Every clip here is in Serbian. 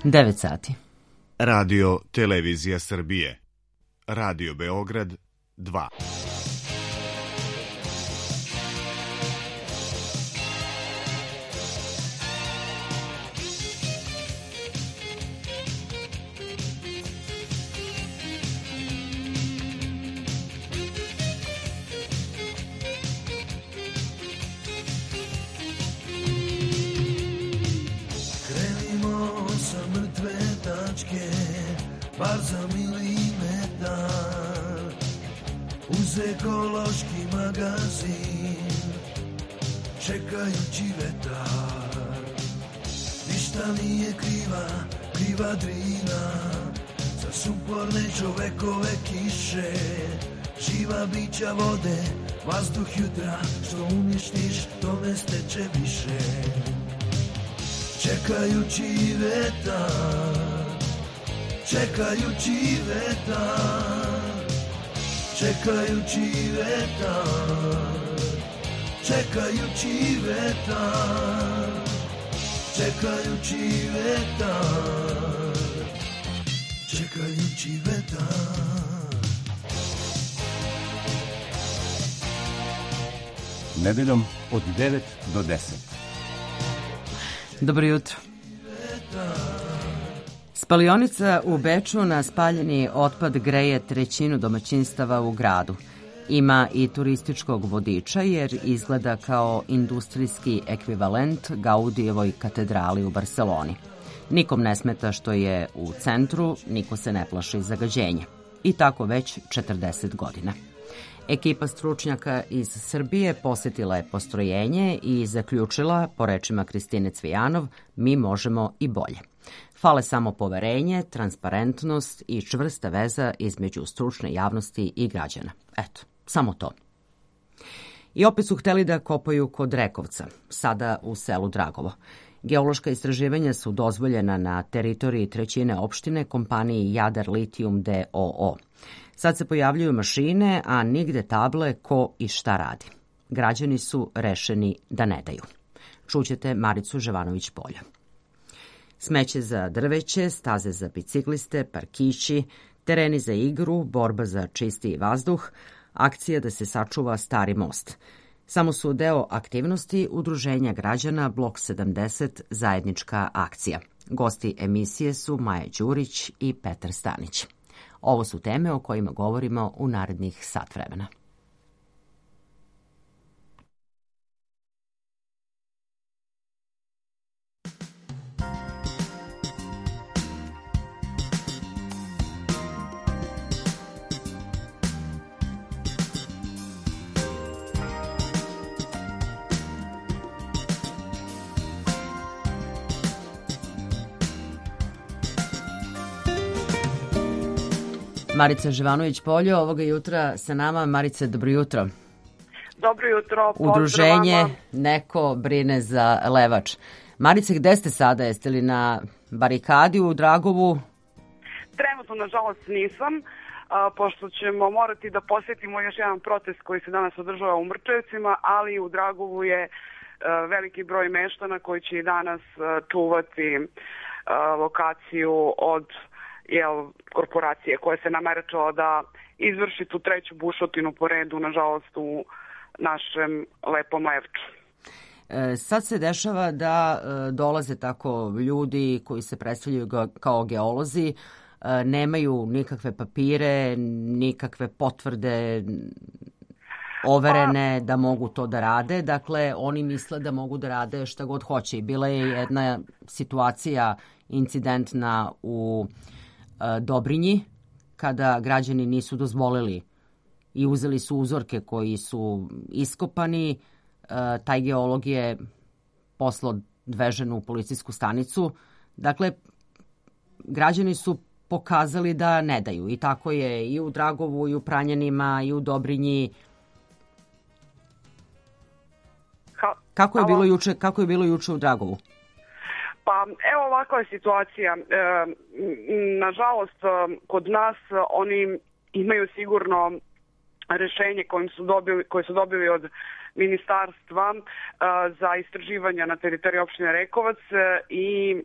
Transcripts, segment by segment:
9 sati. Radio Televizija Srbije. Radio Beograd 2. Bar za milimetar uz ekološki magazin čekajući vetar. Ništa nije kriva Drina za suporne čovekove kiše, živa bića vode, vazduh jutra, što uništiš tome steče više. Čekajući vetar, čekajući vetar, čekajući vetar, čekajući vetar, čekajući vetar, čekajući vetar. Nedeljom od 9 do 10. Dobro jutro. Spalionica u Beču na spaljeni otpad greje trećinu domaćinstava u gradu. Ima i turističkog vodiča jer izgleda kao industrijski ekvivalent Gaudijevoj katedrali u Barseloni. Nikom ne smeta što je u centru, niko se ne plaši zagađenja. I tako već 40 godina. Ekipa stručnjaka iz Srbije posjetila je postrojenje i zaključila, po rečima Kristine Cvijanov, mi možemo i bolje. Fale samo poverenje, transparentnost i čvrsta veza između stručne javnosti i građana. Eto, samo to. I opet su hteli da kopaju kod Rekovca, sada u selu Dragovo. Geološka istraživanja su dozvoljena na teritoriji trećine opštine kompaniji Jadar Litijum d.o.o. Sad se pojavljuju mašine, a nigde table ko i šta radi. Građani su rešeni da ne daju. Čućete Maricu Ževanović-Polja. Smeće za drveće, staze za bicikliste, parkići, tereni za igru, borba za čistiji vazduh, akcija da se sačuva stari most. Samo su deo aktivnosti Udruženja građana Blok 70 zajednička akcija. Gosti emisije su Maja Đurić i Petar Stanić. Ovo su teme o kojima govorimo u narednih sat vremena. Marica Živanović-Polje, ovoga jutra sa nama. Marice, dobro jutro. Dobro jutro, pozdrav. Udruženje Neko brine za Levač. Marice, gde ste sada? Jeste li na barikadi u Dragovu? Trenutno, nažalost, nisam, pošto ćemo morati da posjetimo još jedan protest koji se danas održava u Mrčevcima, ali u Dragovu je veliki broj meštana koji će i danas čuvati lokaciju od korporacije koja se nameračala da izvrši tu treću bušotinu po redu, nažalost, u našem lepom Levču. Sad se dešava da dolaze tako ljudi koji se predstavljaju kao geolozi, nemaju nikakve papire, nikakve potvrde overene da mogu to da rade. Dakle, oni misle da mogu da rade šta god hoće. Bila je jedna situacija incidentna u Dobrinji, kada građani nisu dozvolili i uzeli su uzorke koji su iskopani. Taj geolog je poslao odvežen u policijsku stanicu. Dakle, građani su pokazali da ne daju. I tako je i u Dragovu, i u Pranjanima, i u Dobrinji. Kako je bilo juče u Dragovu? Pa evo, ovakva je situacija. Nažalost, kod nas oni imaju sigurno rešenje koje su dobili od ministarstva za istraživanja na teritoriji opštine Rekovac i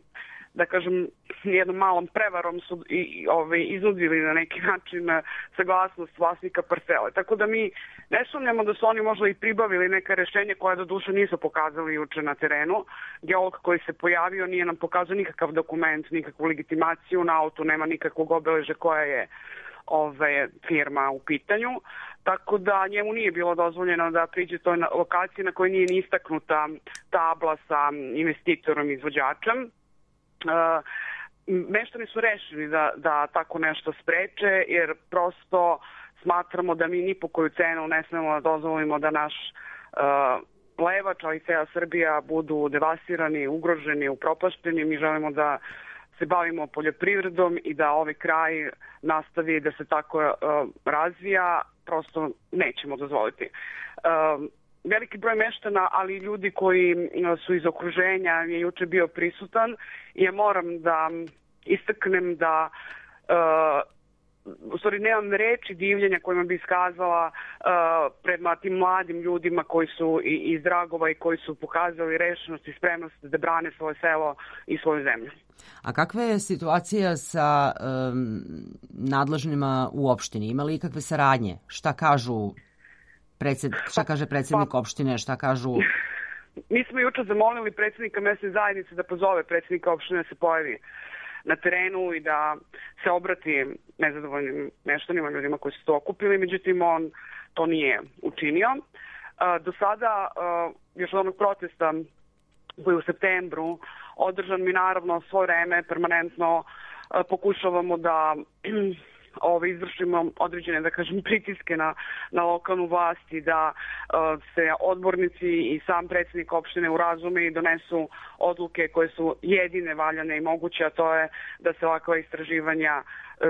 da kažem, jednom malom prevarom su iznudili na neki način saglasnost vlasnika parcele. Tako da mi ne sumnjamo da su oni možda i pribavili neka rešenja koja do duše nisu pokazali juče na terenu. Geolog koji se pojavio nije nam pokazao nikakav dokument, nikakvu legitimaciju, na autu nema nikakvog obeležja koja je firma u pitanju. Tako da njemu nije bilo dozvoljeno da priđe toj lokaciji na kojoj nije ni istaknuta tabla sa investitorom i izvođačem. Meštani su rešili da tako nešto spreče, jer prosto smatramo da mi ni po koju cenu ne smemo da dozvolimo da naš Levač, ali i cela Srbija budu devastirani, ugroženi, upropašteni. Mi želimo da se bavimo poljoprivredom i da ovaj kraj nastavi da se tako razvija, prosto nećemo dozvoliti. Veliki broj meštana, ali i ljudi koji su iz okruženja je juče bio prisutan i ja moram da istaknem da u stvari nemam reči divljenja kojima bi iskazala prema tim mladim ljudima koji su iz Dragova i koji su pokazali rešenost i spremnost da brane svoje selo i svoju zemlju. A kakva je situacija sa nadležnima u opštini? Ima li ikakve saradnje? Šta kaže predsjednik opštine, šta kažu? Mi smo juče zamolili predsjednika mesne zajednice da pozove predsjednika opštine da se pojavi na terenu i da se obrati nezadovoljnim meštanima, ljudima koji su to okupili, međutim on to nije učinio. Do sada, još od onog protesta koji je u septembru održan, mi naravno svo vreme permanentno pokušavamo da izvršimo određene, da kažem, pritiske na lokalnu vlast i da se odbornici i sam predsjednik opštine urazume i donesu odluke koje su jedine valjane i moguće, a to je da se ovakva istraživanja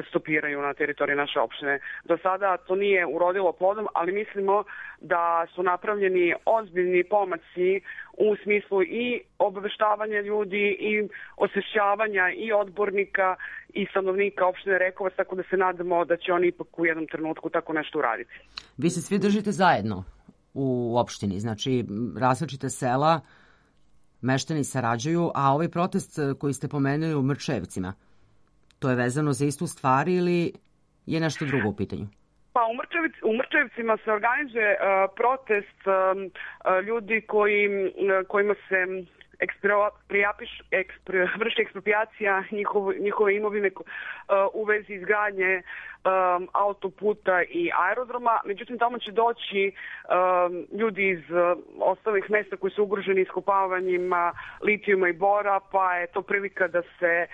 stopiraju na teritoriji naše opštine. Do sada to nije urodilo plodom, ali mislimo da su napravljeni ozbiljni pomaci u smislu i obaveštavanja ljudi i osvešćavanja i odbornika i stanovnika opštine Rekovac, tako da se nadamo da će oni ipak u jednom trenutku tako nešto uraditi. Vi se svi držite zajedno u opštini, znači različite sela, meštani sarađuju, a ovaj protest koji ste pomenuli u Mrčevcima, to je vezano za istu stvar ili je nešto drugo u pitanju? Pa u Mrčevcima se organizuje protest ljudi kojima se vrši eksproprijacija njihove imovine u vezi izgradnje autoputa i aerodroma. Međutim, tamo će doći ljudi iz ostalih mesta koji su ugroženi iskopavanjima litijuma i bora, pa je to prilika da se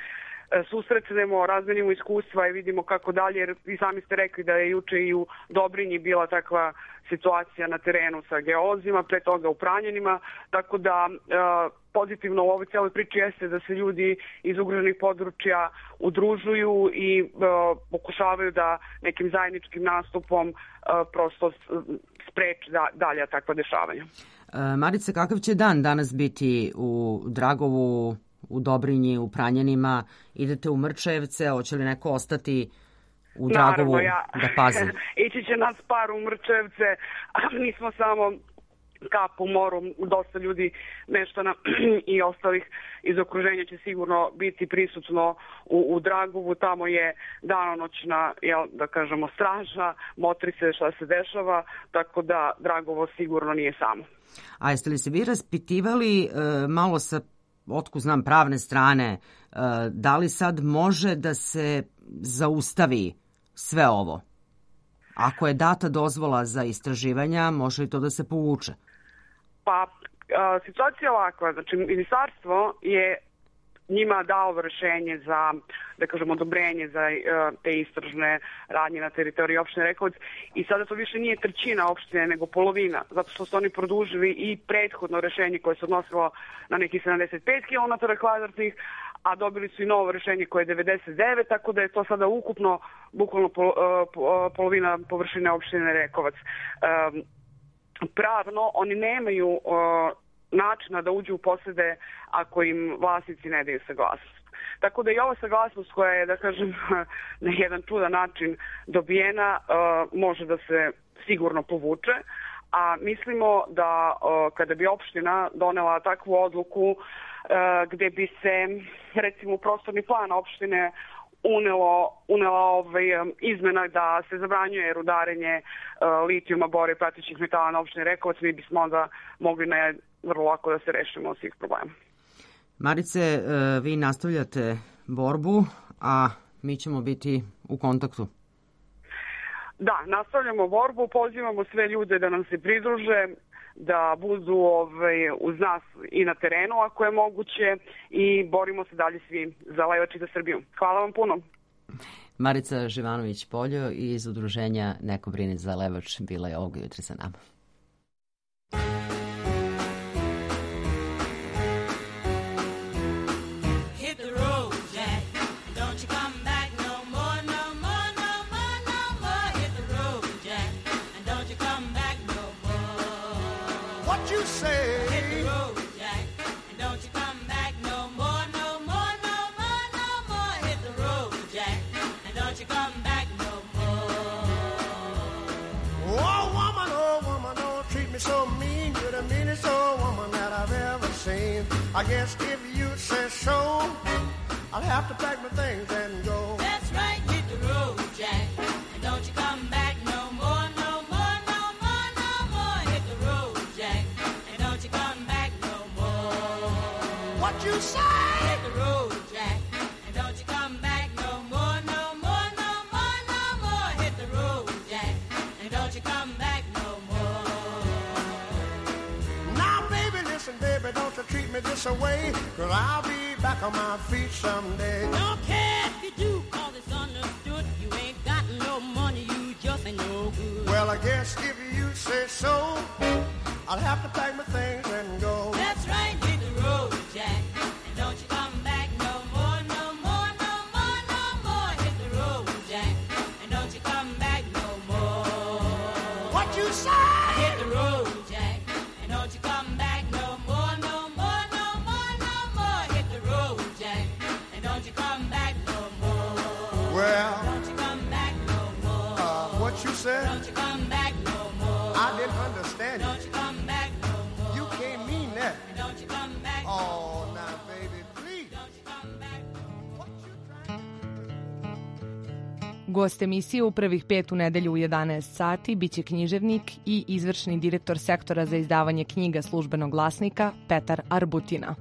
susretnemo, razmenimo iskustva i vidimo kako dalje, jer vi sami ste rekli da je juče i u Dobrinji bila takva situacija na terenu sa geolozima, pre toga u Pranjanima, tako da pozitivno u ovoj cijeloj priči jeste da se ljudi iz ugroženih područja udružuju i pokušavaju da nekim zajedničkim nastupom prosto spreči dalja takva dešavanja. Marice, kakav će dan danas biti u Dragovu, u Dobrinji, u Pranjanima? Idete u Mrčevce, hoće li neko ostati u Dragovu da pazi? Ići će nas par u Mrčevce, a mi smo samo kap u moru, dosta ljudi, meštana i ostalih iz okruženja će sigurno biti prisutno u Dragovu. Tamo je danonoćna, da kažemo, straža, motri se šta se dešava, tako da Dragovo sigurno nije samo. A jeste li se vi raspitivali malo sa, otkud znam, pravne strane, da li sad može da se zaustavi sve ovo? Ako je data dozvola za istraživanja, može li to da se povuče? Pa, situacija je ovakva. Znači, ministarstvo je njima dao rešenje za, da kažemo, odobrenje za te istražne radnje na teritoriji opštine Rekovac i sada to više nije trećina opštine, nego polovina, zato što su oni produžili i prethodno rešenje koje se odnosilo na nekih 75 km2, a dobili su i novo rešenje koje je 99, tako da je to sada ukupno bukvalno polovina površine opštine Rekovac. Pravno oni nemaju načina da uđu u posede ako im vlasnici ne daju saglasnost. Tako da i ova saglasnost koja je, da kažem, na jedan čudan način dobijena, može da se sigurno povuče, a mislimo da kada bi opština donela takvu odluku gde bi se recimo u prostorni plan opštine unela izmena da se zabranjuje rudarenje litijuma, bora i pratećih metala na opštini Rekovac, mi bismo onda mogli vrlo lako da se rešimo svih problema. Marice, vi nastavljate borbu, a mi ćemo biti u kontaktu. Da, nastavljamo borbu, pozivamo sve ljude da nam se pridruže, da budu uz nas i na terenu ako je moguće i borimo se dalje svi za Levač i za Srbiju. Hvala vam puno. Marica Živanović-Poljo iz udruženja Neko brini za Levač bila je ovoga jutra sa nama. You say hit the road, Jack, and don't you come back no more, no more, no more, no more. Hit the road, Jack, and don't you come back no more. Oh woman, don't treat me so mean. You're the meanest old woman that I've ever seen. I guess if you say so, I'll have to pack my things and go. That's right, hit the road, Jack, and don't you come back no more, no more, no more, no more. Hit the road, Jack. What you say? Hit the road, Jack, and don't you come back no more, no more, no more, no more. Hit the road, Jack, and don't you come back no more. Now, baby, listen, baby, don't you treat me this away, 'cause I'll be back on my feet someday. Don't care if you do, 'cause it's understood. You ain't got no money, you just ain't no good. Well, I guess if you say so, I'll have to pack my things and go. That's right, hit the road, Jack, and don't you come back no more, no more, no more, no more. Hit the road, Jack, and don't you come back no more. What you say? Hit the road, Jack, and don't you come back no more, no more, no more, no more. Hit the road, Jack, and don't you come back no more. Well, don't you come back no more. What you said? Don't you come back no more. I didn't understand you. Don't you come back no more. You can't mean that. Don't you come back no more. Oh, now, baby, please. Don't you come back no more. What you trying? Gost emisije u prvih 5 u nedelju u 11 sati biće književnik i izvršni direktor sektora za izdavanje knjiga Službenog glasnika Petar Arbutina.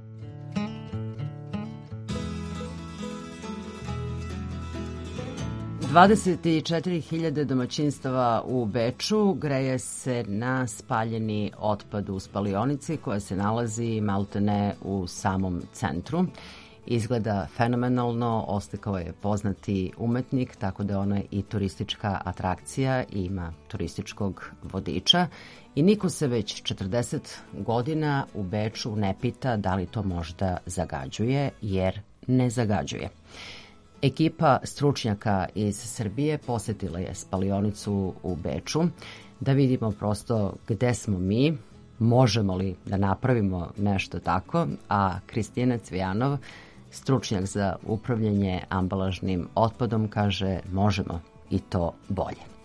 $24.000 domaćinstava u Beču greje se na spaljeni otpad u spalionici koja se nalazi maltene u samom centru. Izgleda fenomenalno, oslikao je poznati umetnik, tako da ona je i turistička atrakcija i ima turističkog vodiča. I niko se već 40 godina u Beču ne pita da li to možda zagađuje, jer ne zagađuje. Ekipa stručnjaka iz Srbije posetila je spalionicu u Beču da vidimo prosto gde smo mi, možemo li da napravimo nešto tako, a Kristina Cvijanov, stručnjak za upravljanje ambalažnim otpadom, kaže možemo i to bolje.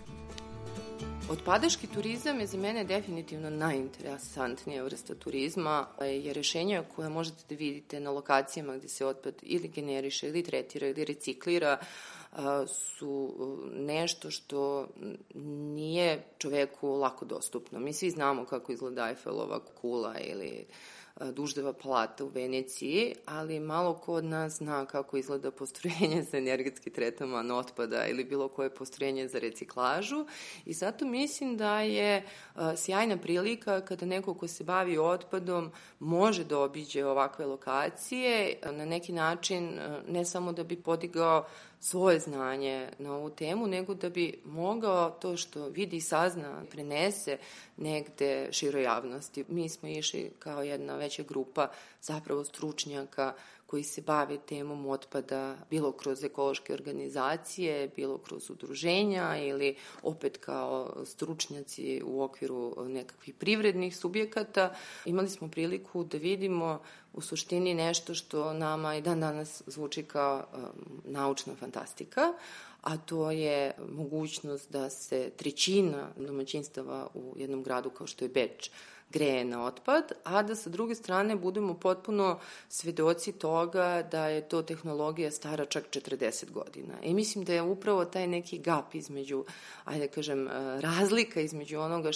Otpadaški turizam je za mene definitivno najinteresantnija vrsta turizma, jer rešenja koje možete da vidite na lokacijama gde se otpad ili generiše, ili tretira, ili reciklira, su nešto što nije čoveku lako dostupno. Mi svi znamo kako izgleda Eifelova kula ili Duždeva palata u Veneciji, ali malo ko od nas zna kako izgleda postrojenje za energetski tretman otpada ili bilo koje postrojenje za reciklažu, i zato mislim da je sjajna prilika kada neko ko se bavi otpadom može da obiđe ovakve lokacije, na neki način ne samo da bi podigao svoje znanje na ovu temu, nego da bi mogao to što vidi i sazna, prenese negde široj javnosti. Mi smo išli kao jedna veća grupa zapravo stručnjaka koji se bave temom otpada, bilo kroz ekološke organizacije, bilo kroz udruženja ili opet kao stručnjaci u okviru nekakvih privrednih subjekata. Imali smo priliku da vidimo u suštini nešto što nama i dan danas zvuči kao naučna fantastika, a to je mogućnost da se 1/3 domaćinstava u jednom gradu kao što je Beč greje na otpad, a da sa druge strane budemo potpuno svedoci toga da je to tehnologija stara čak 40 godina. I mislim da je upravo taj neki gap između, ajde da kažem, razlika između onoga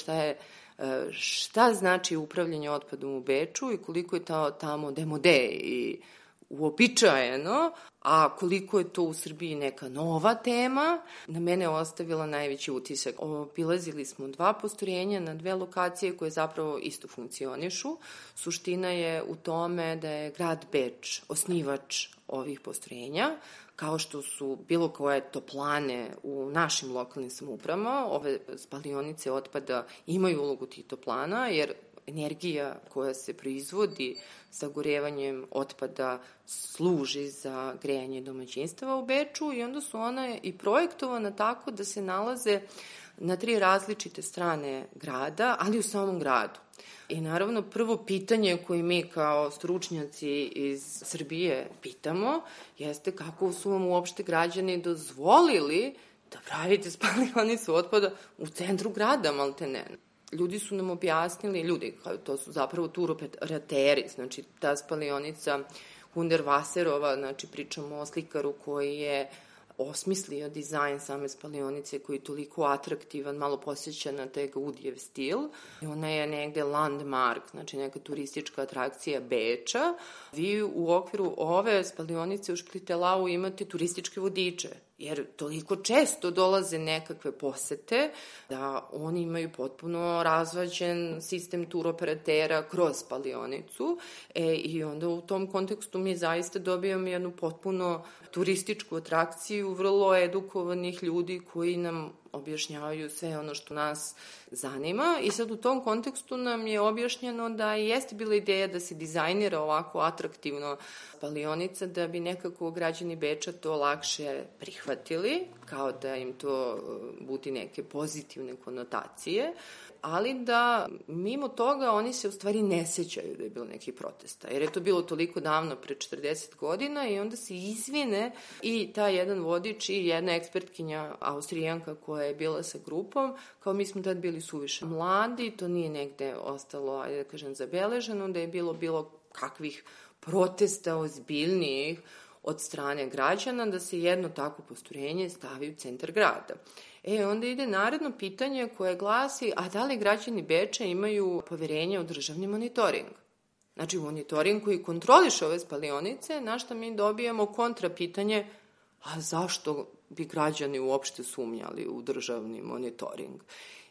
šta znači upravljanje otpadom u Beču i koliko je to tamo demode i uobičajeno, a koliko je to u Srbiji neka nova tema, na mene je ostavila najveći utisak. Obilazili smo 2 postrojenja na 2 lokacije koje zapravo isto funkcionišu. Suština je u tome da je grad Beč osnivač ovih postrojenja, kao što su bilo koje toplane u našim lokalnim samoupravama. Ove spalionice otpada imaju ulogu tih toplana, jer energija koja se proizvodi sagorevanjem otpada služi za grejanje domaćinstava u Beču i onda su ona i projektovana tako da se nalaze na 3 različite strane grada, ali u samom gradu. I naravno prvo pitanje koje mi kao stručnjaci iz Srbije pitamo jeste kako su vam uopšte građani dozvolili da pravite spalionicu otpada u centru grada, maltene. Ljudi su nam objasnili, to su zapravo turoperateri, znači ta spalionica Hundertwasserova, znači pričamo o slikaru koji je osmislio dizajn same spalionice koji je toliko atraktivan, malo posjeća na taj Gaudijev stil. Ona je negde landmark, znači neka turistička atrakcija Beča. Vi u okviru ove spalionice u Splitelau imate turističke vodiče, jer toliko često dolaze nekakve posete da oni imaju potpuno razvađen sistem turoperatera kroz spalionicu i onda u tom kontekstu mi zaista dobijamo jednu potpuno turističku atrakciju vrlo edukovanih ljudi koji nam objašnjavaju sve ono što nas zanima i sad u tom kontekstu nam je objašnjeno da jeste bila ideja da se dizajnira ovako atraktivno spalionica da bi nekako građani Beča to lakše prihvatili, kao da im to budi neke pozitivne konotacije, ali da mimo toga oni se u stvari ne sećaju da je bilo nekih protesta, jer je to bilo toliko davno, pre 40 godina i onda se izvine i ta jedan vodič i jedna ekspertkinja Austrijanka koja je bila sa grupom, kao mi smo tad bili suviše mladi, to nije negde ostalo, ajde da kažem, zabeleženo, da je bilo kakvih protesta ozbiljnijih od strane građana da se jedno takvo postrojenje stavi u centar grada. Onda ide naredno pitanje koje glasi, a da li građani Beča imaju poverenje u državni monitoring? Znači, monitoring koji kontroliše ove spalionice, na što mi dobijamo kontra pitanje, a zašto bi građani uopšte sumnjali u državni monitoring?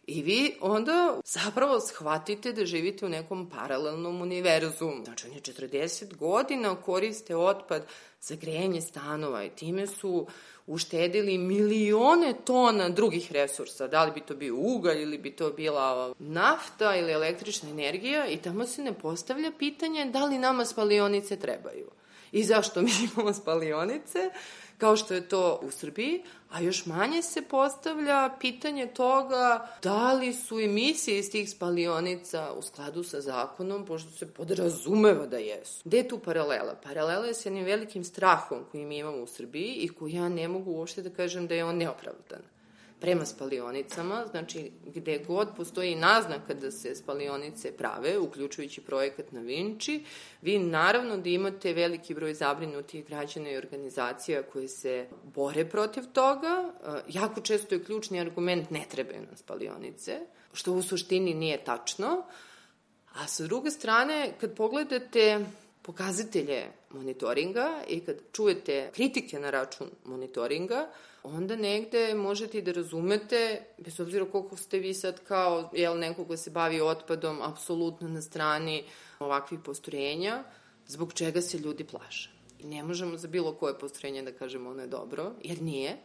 I vi onda zapravo shvatite da živite u nekom paralelnom univerzumu. Znači, oni 40 godina koriste otpad za grejanje stanova i time su uštedili milione tona drugih resursa. Da li bi to bio ugalj ili bi to bila nafta ili električna energija i tamo se ne postavlja pitanje da li nama spalionice trebaju. I zašto mi imamo spalionice, kao što je to u Srbiji, a još manje se postavlja pitanje toga da li su emisije iz tih spalionica u skladu sa zakonom, pošto se podrazumeva da jesu. Gde je tu paralela? Paralela je s jednim velikim strahom koji mi imamo u Srbiji i koji ja ne mogu uopšte da kažem da je on neopravdan. Prema spalionicama, znači gde god postoji naznaka da se spalionice prave, uključujući projekat na Vinči, vi naravno da imate veliki broj zabrinutih građana i organizacija koje se bore protiv toga. Jako često je ključni argument ne trebaju nam spalionice, što u suštini nije tačno. A sa druge strane, kad pogledate pokazatelje monitoringa i kad čujete kritike na račun monitoringa, onda negde možete i da razumete, bez obzira koliko ste vi sad kao neko ko se bavi otpadom, apsolutno na strani ovakvih postrojenja, zbog čega se ljudi plaše. I ne možemo za bilo koje postrojenje da kažemo ono je dobro, jer nije.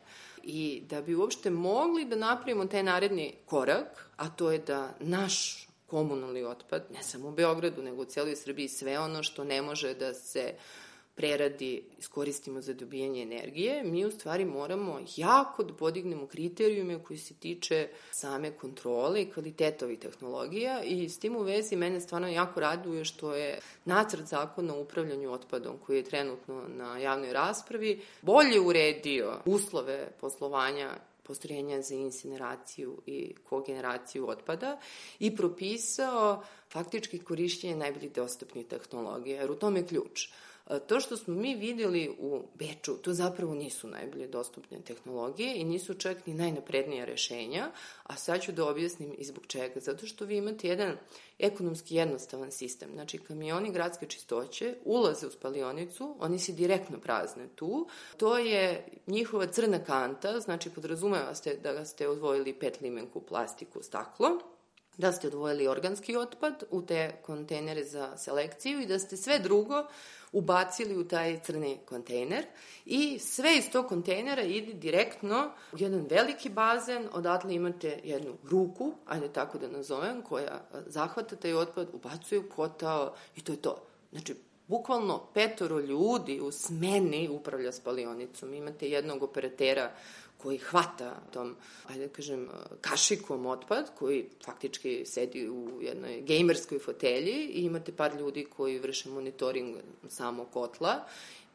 I da bi uopšte mogli da napravimo taj naredni korak, a to je da naš komunalni otpad, ne samo u Beogradu, nego u celoj Srbiji, sve ono što ne može da se preradi, iskoristimo za dobijanje energije, mi u stvari moramo jako da podignemo kriterijume koji se tiče same kontrole i kvaliteta ovih tehnologija i s tim u vezi mene stvarno jako raduje što je nacrt zakona o upravljanju otpadom koji je trenutno na javnoj raspravi bolje uredio uslove poslovanja postrojenja za incineraciju i kogeneraciju otpada i propisao faktički korišćenje najboljih dostupnih tehnologija, jer u tome je ključ. To što smo mi vidjeli u Beču, to zapravo nisu najbolje dostupne tehnologije i nisu čak ni najnaprednija rešenja, a sad ću da objasnim i zbog čega. Zato što vi imate jedan ekonomski jednostavan sistem. Znači, kamioni gradske čistoće ulaze u spalionicu, oni se direktno prazne tu. To je njihova crna kanta, znači podrazumeva ste da ste odvojili PET limenku, plastiku, staklo, da ste odvojili organski otpad u te kontejnere za selekciju i da ste sve drugo ubacili u taj crni kontejner i sve iz tog kontejnera ide direktno u jedan veliki bazen, odatle imate jednu ruku, ajde tako da nazovem, koja zahvata taj otpad, ubacuje u kotao i to je to. Znači, bukvalno 5 ljudi u smeni upravlja spalionicom. Imate jednog operatera koji hvata tom, ajde da kažem, kašikom otpad, koji faktički sedi u jednoj gejmerskoj fotelji i imate par ljudi koji vrše monitoring samog kotla.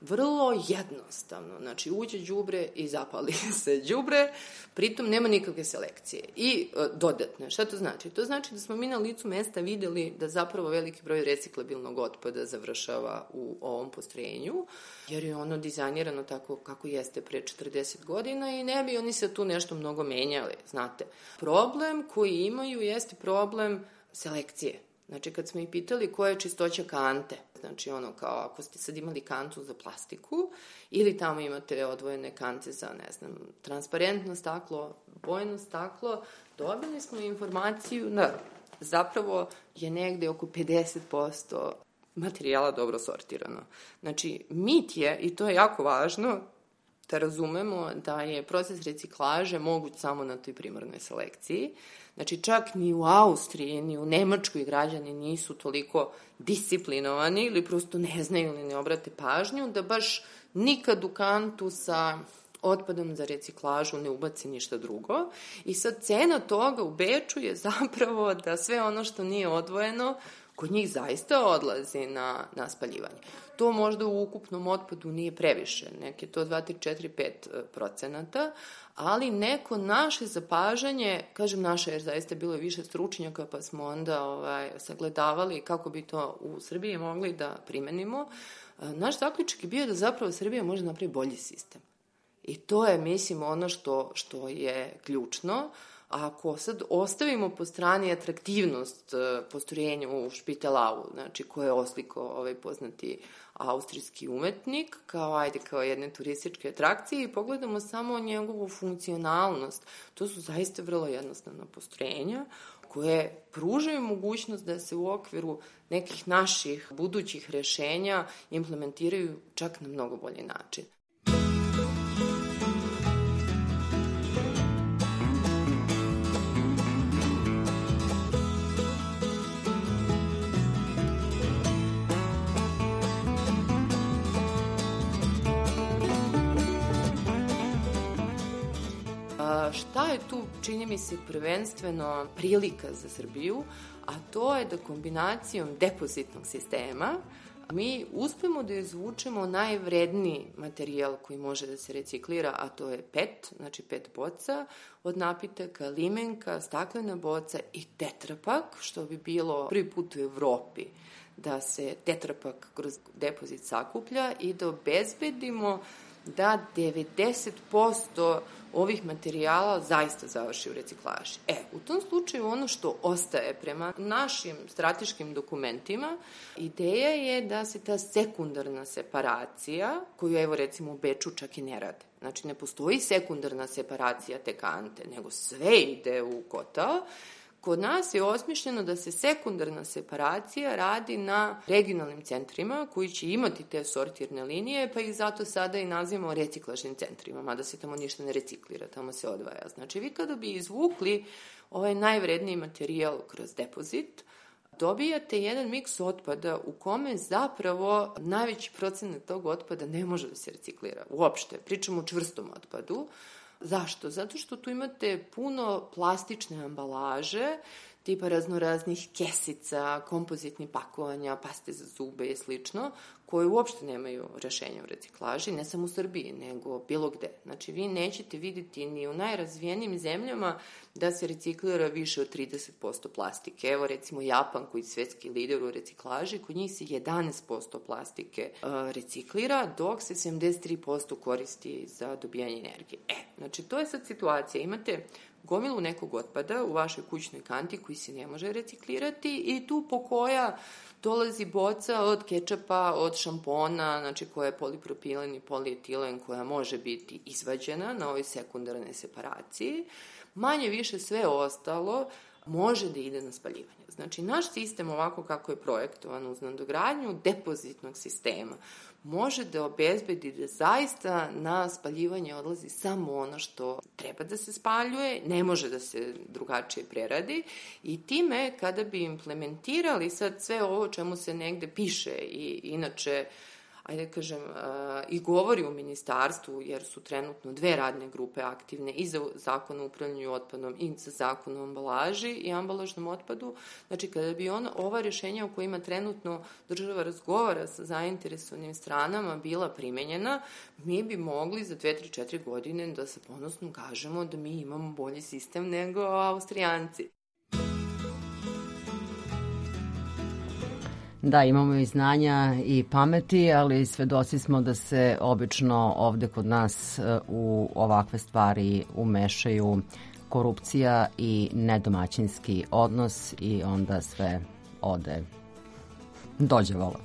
Vrlo jednostavno, znači uđe đubre i zapali se đubre, pritom nema nikakve selekcije. I dodatno, šta to znači? To znači da smo mi na licu mesta videli da zapravo veliki broj reciklabilnog otpada završava u ovom postrojenju, jer je ono dizajnirano tako kako jeste pre 40 godina i ne bi oni se tu nešto mnogo menjali, znate. Problem koji imaju jeste problem selekcije. Znači, kad smo ih pitali koja je čistoća kante, znači ono kao ako ste sad imali kantu za plastiku ili tamo imate odvojene kante za, ne znam, transparentno staklo, bojno staklo, dobili smo informaciju da zapravo je negde oko 50% materijala dobro sortirano. Znači, mit je, i to je jako važno, da razumemo da je proces reciklaže moguć samo na toj primarnoj selekciji. Znači, čak ni u Austriji, ni u Nemačkoj građani nisu toliko disciplinovani ili prosto ne znaju ili ne obrate pažnju da baš nikad u kantu sa otpadom za reciklažu ne ubaci ništa drugo. I sad cena toga u Beču je zapravo da sve ono što nije odvojeno kod njih zaista odlazi na spaljivanje. To možda u ukupnom otpadu nije previše, neke to 2, 3, 4, 5%, ali neko naše zapažanje, kažem naše jer zaista bilo je više stručnjaka pa smo onda sagledavali kako bi to u Srbiji mogli da primenimo, naš zaključak je bio da zapravo Srbija može napraviti bolji sistem. I to je, mislim, ono što je ključno. Ako sad ostavimo po strani atraktivnost postrojenja u Špitalau, znači koje je oslikao poznati austrijski umetnik, kao jedne turističke atrakcije i pogledamo samo njegovu funkcionalnost, to su zaista vrlo jednostavna postrojenja koje pružaju mogućnost da se u okviru nekih naših budućih rešenja implementiraju čak na mnogo bolji način. Šta je tu, čini mi se, prvenstveno prilika za Srbiju, a to je da kombinacijom depozitnog sistema mi uspemo da izvučemo najvredniji materijal koji može da se reciklira, a to je PET, znači PET boca, od napitaka, limenka, staklena boca i tetrapak, što bi bilo prvi put u Evropi da se tetrapak kroz depozit sakuplja i da obezbedimo da 90% ovih materijala zaista završi u reciklaži. U tom slučaju ono što ostaje prema našim strateškim dokumentima, ideja je da se ta sekundarna separacija, koju evo recimo u Beču čak i ne rade. Znači ne postoji sekundarna separacija te kante, nego sve ide u kotao. Kod nas je osmišljeno da se sekundarna separacija radi na regionalnim centrima koji će imati te sortirne linije, pa ih zato sada i nazivamo reciklažnim centrima, mada se tamo ništa ne reciklira, tamo se odvaja. Znači vi kada bi izvukli ovaj najvredniji materijal kroz depozit, dobijate jedan miks otpada u kome zapravo najveći procenat tog otpada ne može da se reciklira. Uopšte, pričamo o čvrstom otpadu. Zašto? Zato što tu imate puno plastične ambalaže, tipa raznoraznih kesica, kompozitnih pakovanja, paste za zube i slično, koje uopšte nemaju rešenja u reciklaži, ne samo u Srbiji, nego bilo gde. Znači, vi nećete vidjeti ni u najrazvijenim zemljama da se reciklira više od 30% plastike. Evo, recimo, Japan, koji je svetski lider u reciklaži, kod njih se 11% plastike reciklira, dok se 73% koristi za dobijanje energije. Znači, to je sad situacija. Imate gomilu nekog otpada u vašoj kućnoj kanti koji se ne može reciklirati i tu po koja dolazi boca od kečapa, od šampona, znači koja je polipropilen i polietilen, koja može biti izvađena na ovoj sekundarnoj separaciji. Manje više sve ostalo može da ide na spaljivanje. Znači, naš sistem, ovako kako je projektovan uz nadogradnju depozitnog sistema, može da obezbedi da zaista na spaljivanje odlazi samo ono što treba da se spaljuje, ne može da se drugačije preradi i time kada bi implementirali sad sve ovo čemu se negde piše i inače ajde kažem, i govori u ministarstvu, jer su trenutno 2 radne grupe aktivne i za zakon o upravljanju otpadom i za zakon o ambalaži i ambalažnom otpadu. Znači, kada bi ova rješenja o kojima trenutno država razgovara sa zainteresovanim stranama bila primenjena, mi bi mogli za 2, 3, 4 godine da se ponosno kažemo da mi imamo bolji sistem nego Austrijanci. Da, imamo i znanja i pameti, ali svedoci smo da se obično ovde kod nas u ovakve stvari umešaju korupcija i nedomaćinski odnos i onda sve ode dođe vola.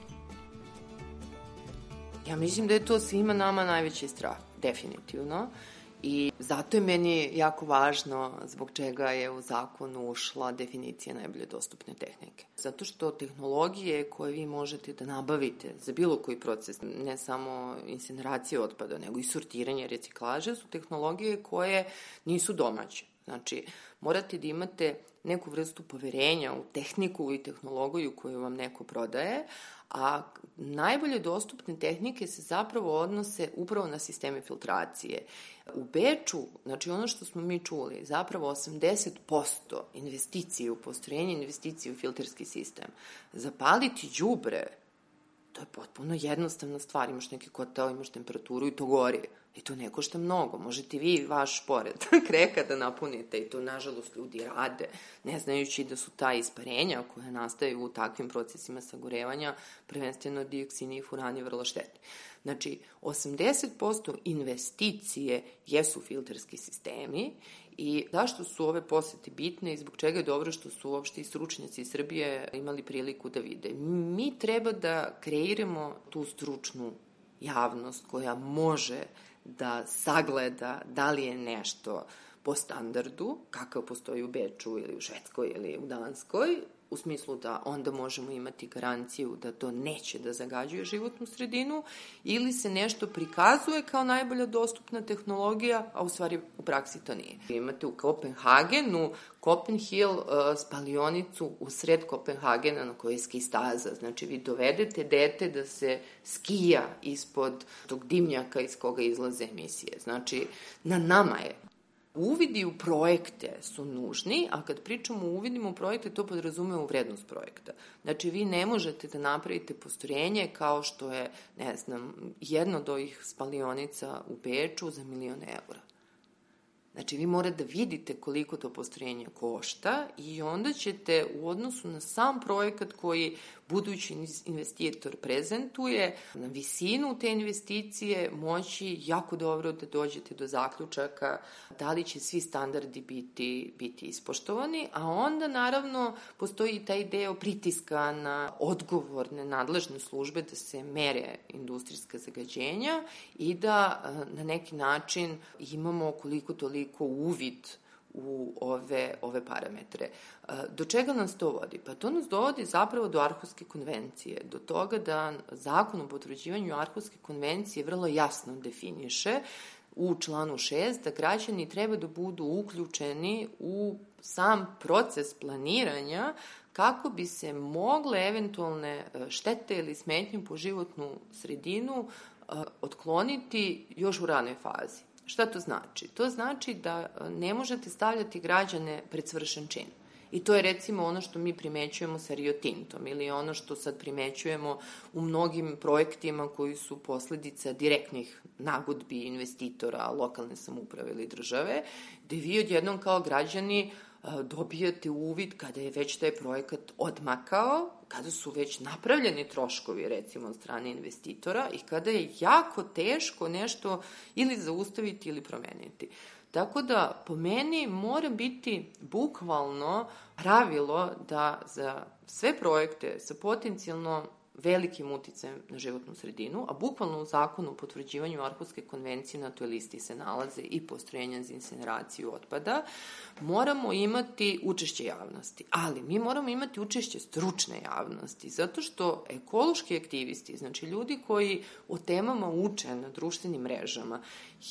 Ja mislim da je to svima nama najveći strah, definitivno. I zato je meni jako važno zbog čega je u zakonu ušla definicija najbolje dostupne tehnike. Zato što tehnologije koje vi možete da nabavite za bilo koji proces, ne samo incineracije otpada, nego i sortiranje, reciklaže, su tehnologije koje nisu domaće. Znači, morate da imate neku vrstu poverenja u tehniku i tehnologiju koju vam neko prodaje, a najbolje dostupne tehnike se zapravo odnose upravo na sisteme filtracije. U Beču, znači ono što smo mi čuli, zapravo 80% investicije u postrojenje, investicije u filterski sistem. Zapaliti đubre, to je potpuno jednostavna stvar, imaš neki kotao, imaš temperaturu i to gori. I to ne košta mnogo, možete vi vaš pored kreka da napunite i to nažalost ljudi rade, ne znajući da su ta isparenja koja nastaju u takvim procesima sagorevanja, prvenstveno dioksini i furani, vrlo štetni. Znači, 80% investicije jesu filterski sistemi i zašto su ove posete bitne i zbog čega je dobro što su uopšte i stručnjaci iz Srbije imali priliku da vide. Mi treba da kreiramo tu stručnu javnost koja može da sagleda da li je nešto po standardu, kakav postoji u Beču ili u Švedskoj ili u Danskoj, u smislu da onda možemo imati garanciju da to neće da zagađuje životnu sredinu, ili se nešto prikazuje kao najbolja dostupna tehnologija, a u stvari u praksi to nije. Imate u Kopenhagenu Kopenhill spalionicu u sred Kopenhagena na kojoj je ski staza. Znači, vi dovedete dete da se skija ispod tog dimnjaka iz koga izlaze emisije. Znači, na nama je. Uvidi u projekte su nužni, a kad pričamo o uvidima u projekte, to podrazume u vrednost projekta. Znači, vi ne možete da napravite postrojenje kao što je, ne znam, jedno od ovih spalionica u Beču za 1.000.000 evra. Znači, vi morate da vidite koliko to postrojenje košta i onda ćete u odnosu na sam projekat koji budući investitor prezentuje, na visinu te investicije moći jako dobro da dođete do zaključaka da li će svi standardi biti ispoštovani, a onda naravno postoji i taj deo pritiska na odgovorne nadležne službe da se mere industrijska zagađenja i da na neki način imamo koliko toliko uvid u ove parametre. Do čega nas to vodi? Pa to nas dovodi zapravo do Arhuske konvencije, do toga da zakon o potvrđivanju Arhuske konvencije vrlo jasno definiše u članu 6 da građani treba da budu uključeni u sam proces planiranja kako bi se mogle eventualne štete ili smetnje po životnu sredinu otkloniti još u ranoj fazi. Šta to znači? To znači da ne možete stavljati građane pred svršen čin. I to je recimo ono što mi primećujemo sa Rio Tintom ili ono što sad primećujemo u mnogim projektima koji su posledica direktnih nagodbi investitora, lokalne samouprave ili države, gde vi odjednom kao građani dobijate uvid kada je već taj projekat odmakao, kada su već napravljeni troškovi recimo od strane investitora i kada je jako teško nešto ili zaustaviti ili promeniti. Tako da, po meni, mora biti bukvalno pravilo da za sve projekte sa potencijalno velikim uticajem na životnu sredinu, a bukvalno u zakonu o potvrđivanju Arhuske konvencije na toj listi se nalaze i postrojenja za incineraciju otpada, moramo imati učešće javnosti. Ali mi moramo imati učešće stručne javnosti, zato što ekološki aktivisti, znači ljudi koji o temama uče na društvenim mrežama,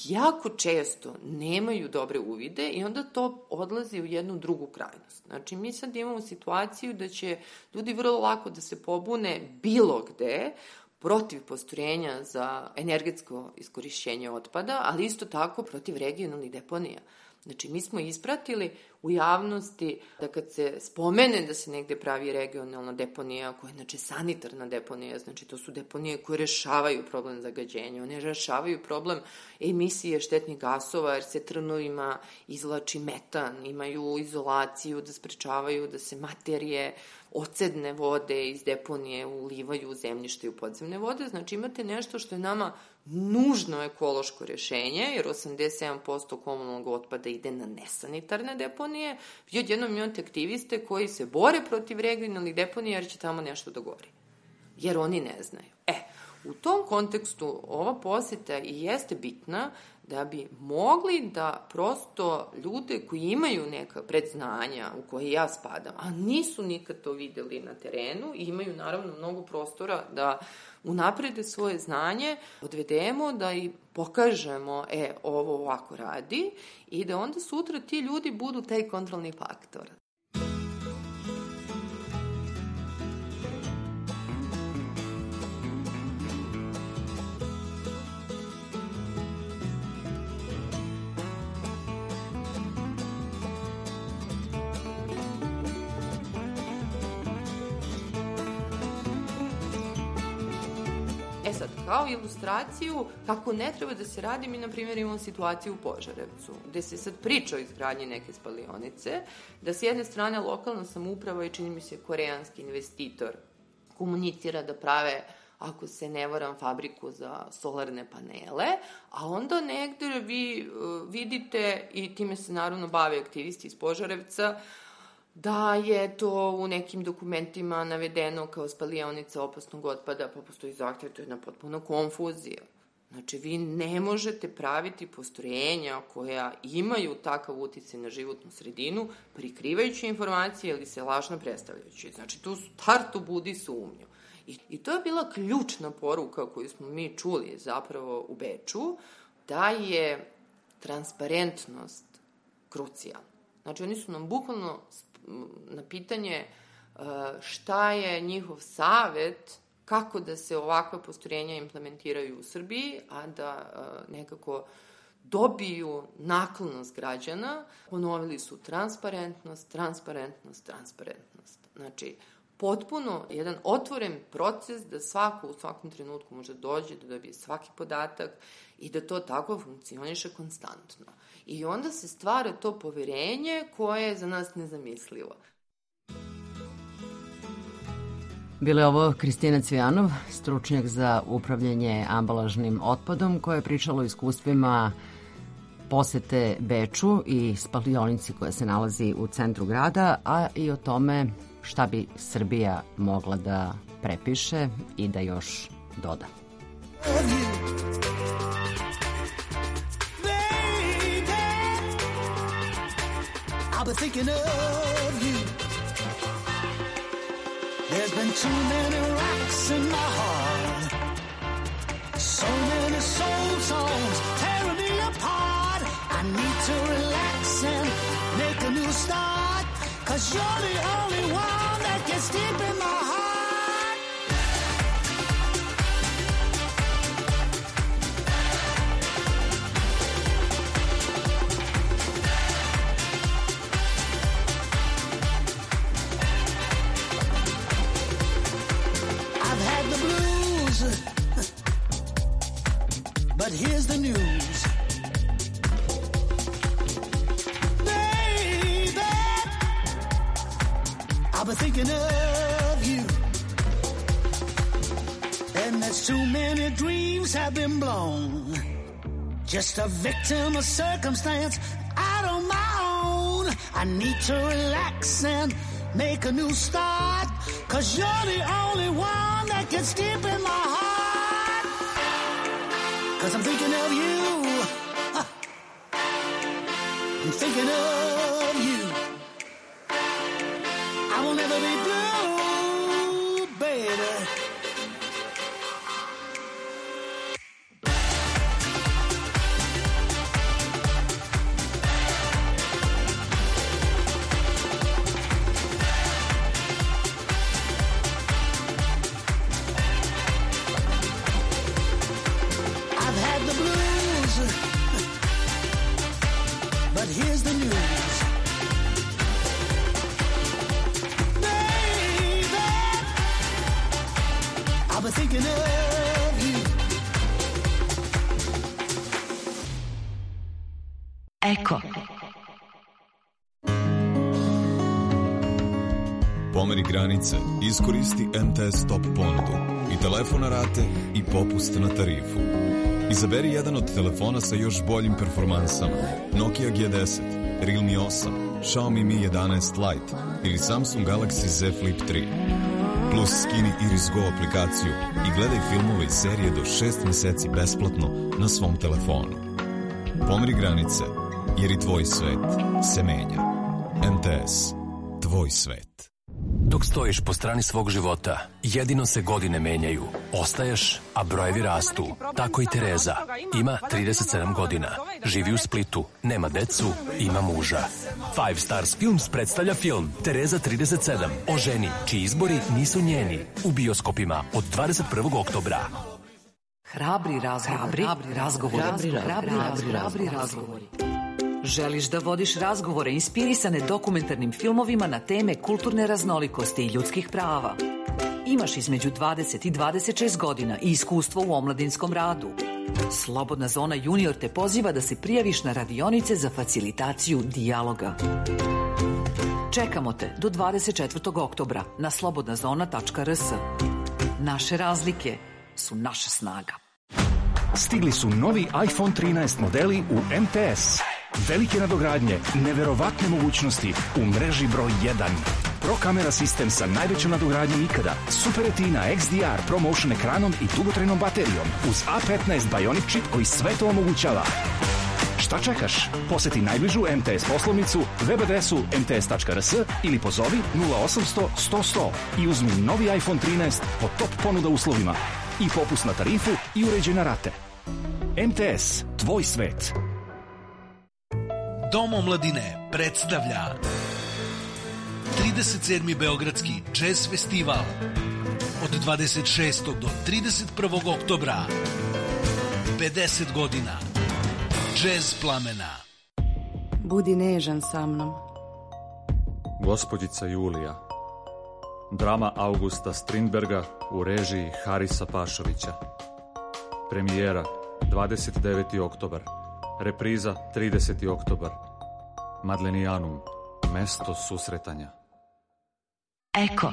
jako često nemaju dobre uvide i onda to odlazi u jednu drugu krajnost. Znači, mi sad imamo situaciju da će ljudi vrlo lako da se pobune bilo gde protiv postrojenja za energetsko iskorišćenje otpada, ali isto tako protiv regionalnih deponija. Znači, mi smo ispratili u javnosti da kad se spomene da se negde pravi regionalna deponija, koja je znači sanitarna deponija, znači to su deponije koje rešavaju problem zagađenja, one rešavaju problem emisije štetnih gasova, jer se trnovima izvlači metan, imaju izolaciju da sprečavaju da se materije ocedne vode iz deponije ulivaju u zemljište i u podzemne vode. Znači imate nešto što je nama nužno ekološko rešenje, jer 87% komunalnog otpada ide na nesanitarne deponije. Vi odjednom imate aktiviste koji se bore protiv regionalnih deponija jer će tamo nešto da gori. Jer oni ne znaju. U tom kontekstu ova poseta i jeste bitna da bi mogli da prosto ljude koji imaju neka predznanja u koje ja spadam, a nisu nikad to videli na terenu i imaju naravno mnogo prostora da unaprede svoje znanje, odvedemo da i pokažemo ovo ovako radi i da onda sutra ti ljudi budu taj kontrolni faktor. Sad, kao ilustraciju kako ne treba da se radi, mi na primjer imamo situaciju u Požarevcu, gde se sad priča o izgradnji neke spalionice, da s jedne strane lokalna samouprava i čini mi se koreanski investitor komunicira da prave, ako se ne varam, fabriku za solarne panele, a onda negde vi vidite, i time se naravno bave aktivisti iz Požarevca, da je to u nekim dokumentima navedeno kao spalionica opasnog otpada, pa postoji zahtjev, to je jedna potpuna konfuzija. Znači, vi ne možete praviti postrojenja koja imaju takav uticaj na životnu sredinu, prikrivajući informacije ili se lažno predstavljajući. Znači, tu startu budi sumnju. I to je bila ključna poruka koju smo mi čuli zapravo u Beču, da je transparentnost krucijalna. Znači, oni su nam bukvalno na pitanje šta je njihov savet, kako da se ovakva postrojenja implementiraju u Srbiji, a da nekako dobiju naklonost građana, ponovili su transparentnost. Znači, potpuno jedan otvoren proces da svako u svakom trenutku može dođe, da dobije svaki podatak i da to tako funkcioniše konstantno. I onda se stvara to poverenje koje je za nas nezamislivo. Bila je ovo Kristina Cvijanov, stručnjak za upravljanje ambalažnim otpadom, koja je pričala o iskustvima posete Beču i spalionici koja se nalazi u centru grada, a i o tome šta bi Srbija mogla da prepiše i da još doda. I've been thinking of you. There's been too many rocks in my heart, so many soul songs tearing me apart. I need to relax and make a new start, 'cause you're the only one that gets deep in my heart. I've had the blues, but here's the news. Baby, I've been thinking of you. And there's too many dreams have been blown. Just a victim of circumstance out on my own. I need to relax and make a new start. 'Cause you're the only one that gets deep in my heart. 'Cause I'm thinking of you. I'm thinking of you. I will never be blue, baby. I've had the blues, but here's the news. Baby, I've been thinking of you. Eko. Pomeri granice, iskoristi MTS Top ponudu i telefon na rate i popust na tarifu. Izaberi jedan od telefona sa još boljim performansama. Nokia G10, Realme 8, Xiaomi Mi 11 Lite ili Samsung Galaxy Z Flip 3. Plus skini Iris Go aplikaciju i gledaj filmove i serije do 6 meseci besplatno na svom telefonu. Pomeri granice, jer i tvoj svet se menja. MTS, tvoj svet. Dok stojiš po strani svog života, jedino se godine menjaju. Ostaješ, a brojevi rastu. Tako i Tereza. Ima 37 godina. Živi u Splitu. Nema decu, ima muža. Five Stars Films predstavlja film Tereza 37 o ženi čiji izbori nisu njeni. U bioskopima od 21. oktobra. Hrabri razgovori. Želiš da vodiš razgovore inspirisane dokumentarnim filmovima na teme kulturne raznolikosti i ljudskih prava? Imaš između 20 i 26 godina i iskustvo u omladinskom radu. Slobodna zona junior te poziva da se prijaviš na radionice za facilitaciju dijaloga. Čekamo te do 24. oktobra na slobodnazona.rs. Naše razlike su naša snaga. Stigli su novi iPhone 13 modeli u MTS. Velike nadogradnje, neverovatne mogućnosti u mreži broj 1. Pro kamera sistem sa najvećom nadogradnjom ikada, Super Retina XDR ProMotion ekranom i dugotrajnom baterijom uz A15 Bionic čip koji sve to omogućava. Šta čekaš? Poseti najbližu MTS poslovnicu, web adresu mts.rs ili pozovi 0800 100 100 i uzmi novi iPhone 13 po top ponuda uslovima i popust na tarifu i uređene rate. MTS, tvoj svet. Dom omladine predstavlja 37. Beogradski jazz festival od 26. do 31. oktobra. 50 godina Jazz plamena. Budi nežan sa mnom. Gospođica Julija. Drama Augusta Strindberga u režiji Harisa Pašovića. Premijera 29. oktobar. Repriza 30. oktobar. Madlenijanum, mesto susretanja. Eko.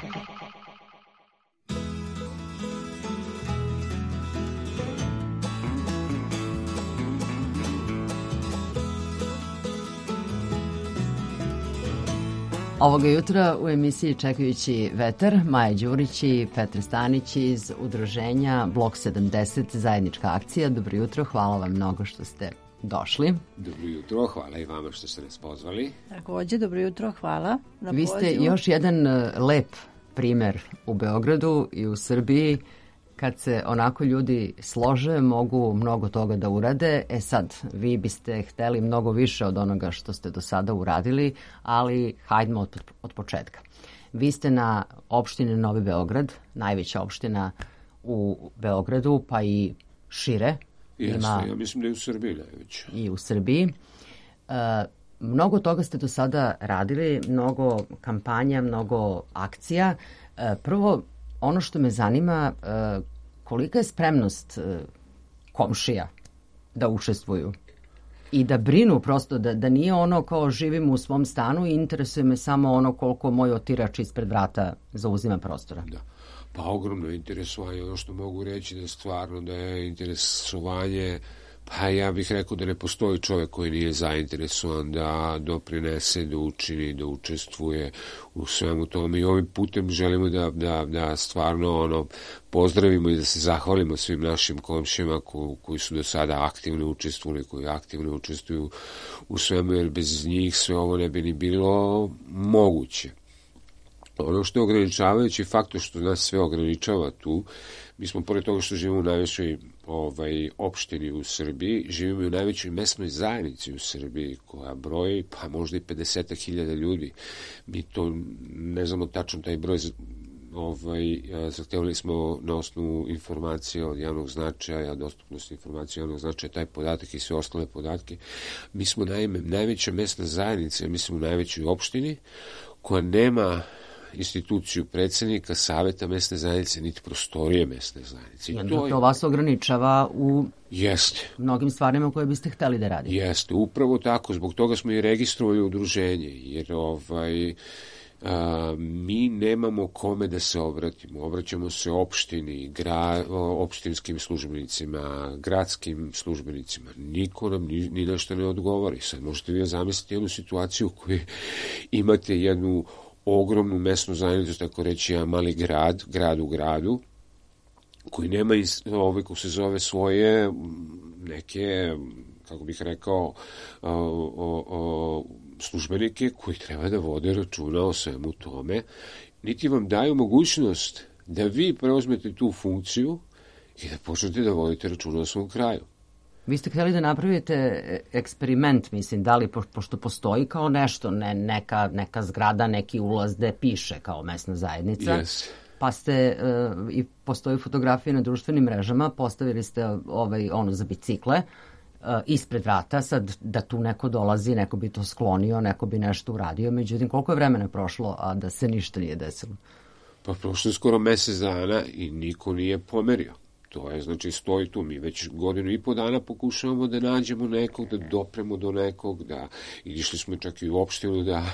Ovoga jutra u emisiji Čekajući vetar Maja Đurić i Petar Stanić iz udruženja Blok 70 zajednička akcija. Dobro jutro, hvala vam mnogo što ste došli. Dobro jutro, hvala i vama što ste nas pozvali. Takođe, dobro jutro, hvala na Vi pozivu. ste još jedan lep primer u Beogradu i u Srbiji. Kad se onako ljudi slože, mogu mnogo toga da urade. E sad, vi biste hteli mnogo više od onoga što ste do sada uradili, ali hajdemo od početka. Vi ste na opštini Novi Beograd, najveća opština u Beogradu, pa i šire. Jeste, ja mislim da je u Srbiji najveća. I u Srbiji. Mnogo toga ste do sada radili, mnogo kampanja, mnogo akcija. Prvo, ono što me zanima, kolika je spremnost komšija da učestvuju i da brinu prosto, da nije ono kao živim u svom stanu i interesuje me samo ono koliko moj otirač ispred vrata zauzima prostora. Da. Pa ogromno interesovanje, ono što mogu reći da je stvarno da je interesovanje, pa ja bih rekao da ne postoji čovjek koji nije zainteresovan da doprinese, da učini, da učestvuje u svemu tome i ovim putem želimo da stvarno pozdravimo i da se zahvalimo svim našim komšijama koji su do sada aktivno učestvovali, koji aktivno učestvuju u svemu, jer bez njih sve ovo ne bi ni bilo moguće. Ono što je ograničavajući faktor što nas sve ograničava tu, mi smo pored toga što živimo u najvećoj opštini u Srbiji, živimo i u najvećoj mesnoj zajednici u Srbiji koja broji pa možda i 50.000 ljudi. Mi to ne znamo tačno taj broj, zahtevali smo na osnovu informacije od javnog značaja, dostupnosti informacije javnog značaja, taj podatak i sve ostale podatke. Mi smo naime najveća mesna zajednica, mislim u najvećoj opštini, koja nema instituciju predsjednika, saveta mesne zajednice, niti prostorije mesne zajednice. I to vas ograničava u mnogim stvarima koje biste hteli da radite. Jeste, upravo tako. Zbog toga smo i registrovali udruženje, jer mi nemamo kome da se obratimo. Obraćamo se opštini, opštinskim službenicima, gradskim službenicima. Niko nam ni nešto ne odgovori. Sad možete vi zamisliti jednu situaciju u kojoj imate jednu ogromnu mesnu zajednicu, tako reći, jedan mali grad u gradu, koji nema kako se zove svoje neke, kako bih rekao, službenike koji treba da vode računa o svemu tome, niti vam daju mogućnost da vi preuzmete tu funkciju i da počnete da vodite računa o svom kraju. Vi ste htjeli da napravite eksperiment, mislim, da li, pošto postoji kao nešto, neka zgrada, neki ulaz gde piše kao mesna zajednica, pa ste, i postoji fotografije na društvenim mrežama, postavili ste za bicikle, ispred vrata, sad da tu neko dolazi, neko bi to sklonio, neko bi nešto uradio, međutim, koliko je vremena prošlo, a da se ništa nije desilo? Pa prošlo je skoro mesec dana i niko nije pomerio. To je, znači, stoji tu. Mi već 1.5 godina pokušavamo da nađemo nekog, da dopremo do nekog, da išli smo čak i u opštinu da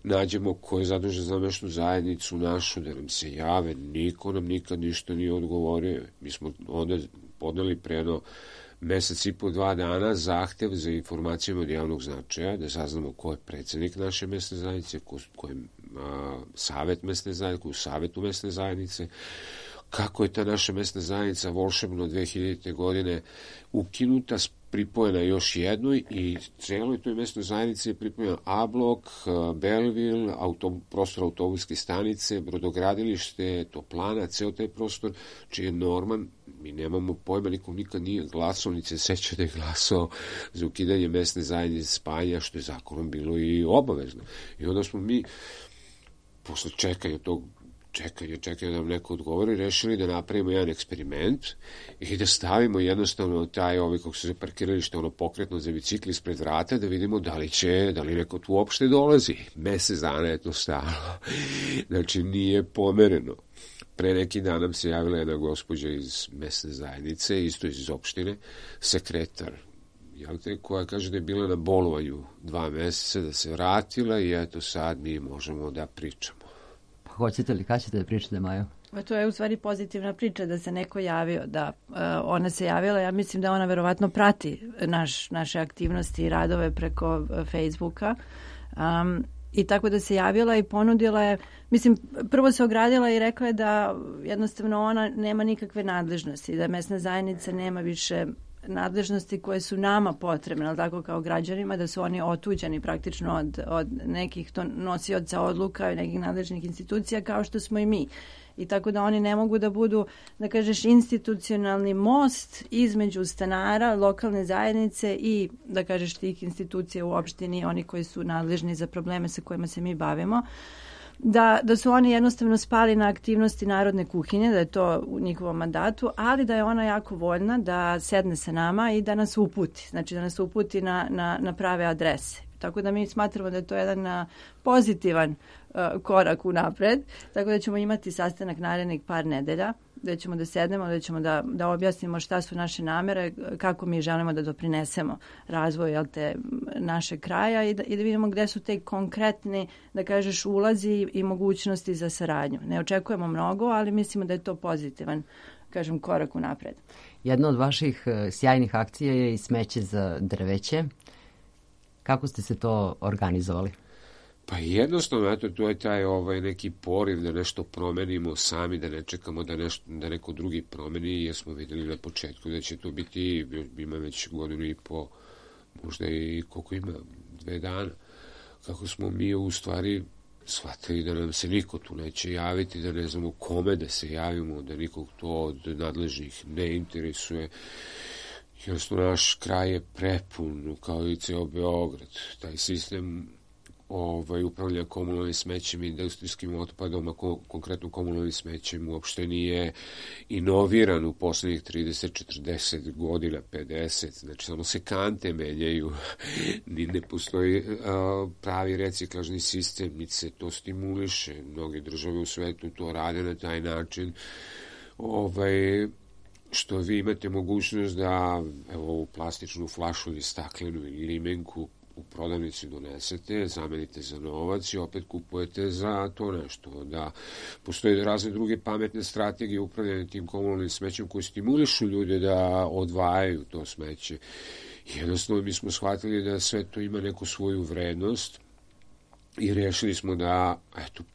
nađemo ko je zadužen za mesnu zajednicu našu, da nam se jave. Niko nam nikad ništa nije odgovorio. Mi smo onda podneli pre jedno mesec i po 2 dana zahtev za informacijama od javnog značaja, da saznamo ko je predsjednik naše mesne zajednice, ko je savet mesne zajednice, ko je u savetu mesne zajednice, kako je ta naša mesna zajednica volšebno 2000. godine ukinuta, pripojena još jednoj i celoj toj mesnoj zajednici je pripojena A blok, Belleville, prostor autobuske stanice, brodogradilište, toplana, ceo taj prostor, čiji je norman, mi nemamo pojma, nikom nikad nije glasao, ni se seća da je glasao za ukidanje mesne zajednice spajanja, što je zakonom bilo i obavezno. I onda smo mi, posle čekanja da nam neko odgovori, rešili da napravimo jedan eksperiment i da stavimo jednostavno taj, kako se parkiralište, pokretno za bicikli ispred vrata, da vidimo da li neko tu uopšte dolazi. Mesec dana je to stalo. Znači, nije pomereno. Pre neki dan nam se javila jedna gospođa iz mesne zajednice, isto iz opštine, sekretar, koja kaže da je bila na bolovanju 2 meseca, da se vratila i eto sad mi možemo da pričamo. Hoćete li, kad ćete da pričate, Majo? To je u stvari pozitivna priča da se neko javio, da ona se javila, ja mislim da ona verovatno prati naše aktivnosti i radove preko Facebooka i tako da se javila i ponudila je, mislim, prvo se ogradila i rekla je da jednostavno ona nema nikakve nadležnosti, da mesna zajednica nema više nadležnosti koje su nama potrebne, ali tako kao građanima, da su oni otuđeni praktično od nekih nosioca odluka i nekih nadležnih institucija kao što smo i mi. I tako da oni ne mogu da budu, da kažeš, institucionalni most između stanara, lokalne zajednice i, da kažeš, tih institucija u opštini, oni koji su nadležni za probleme sa kojima se mi bavimo. da su oni jednostavno spali na aktivnosti narodne kuhinje, da je to u njihovom mandatu, ali da je ona jako voljna da sedne sa nama i da nas uputi, znači da nas uputi na prave adrese. Tako da mi smatramo da je to jedan pozitivan korak unapred, tako da ćemo imati sastanak narednih par nedelja, da ćemo da sednemo, da ćemo da objasnimo šta su naše namere, kako mi želimo da doprinesemo razvoju našeg kraja i da vidimo gde su te konkretni, da kažeš, ulazi i mogućnosti za saradnju. Ne očekujemo mnogo, ali mislimo da je to pozitivan, kažem, korak unapred. Jedna od vaših sjajnih akcija je i smeće za drveće. Kako ste se to organizovali? Pa jednostavno, eto, to je taj neki poriv da nešto promenimo sami, da ne čekamo da neko drugi promeni, jer smo videli na početku da će to biti, ima već godinu i po, možda i koliko ima, 2 dana, kako smo mi u stvari shvatili da nam se niko tu neće javiti, da ne znamo kome da se javimo, da nikog to od nadležnih ne interesuje. Jednostavno, naš kraj je prepun, kao i ceo Beograd. Taj sistem upravljanja komunalnim smećem i industrijskim otpadom, a konkretno komunalnim smećem, uopšte nije inoviran u poslednjih 30, 40 godina, 50. Znači, samo se kante menjaju, ni ne postoji pravi reciklažni sistem, niti se to stimuliše. Mnoge države u svetu to rade na taj način. Što vi imate mogućnost da ovu plastičnu flašu ili staklenu ili limenku u prodavnici donesete, zamenite za novac i opet kupujete za to nešto. Da postoje razne druge pametne strategije upravljanja tim komunalnim smećem koje stimulišu ljude da odvajaju to smeće. Jednostavno mi smo shvatili da sve to ima neku svoju vrednost i rešili smo da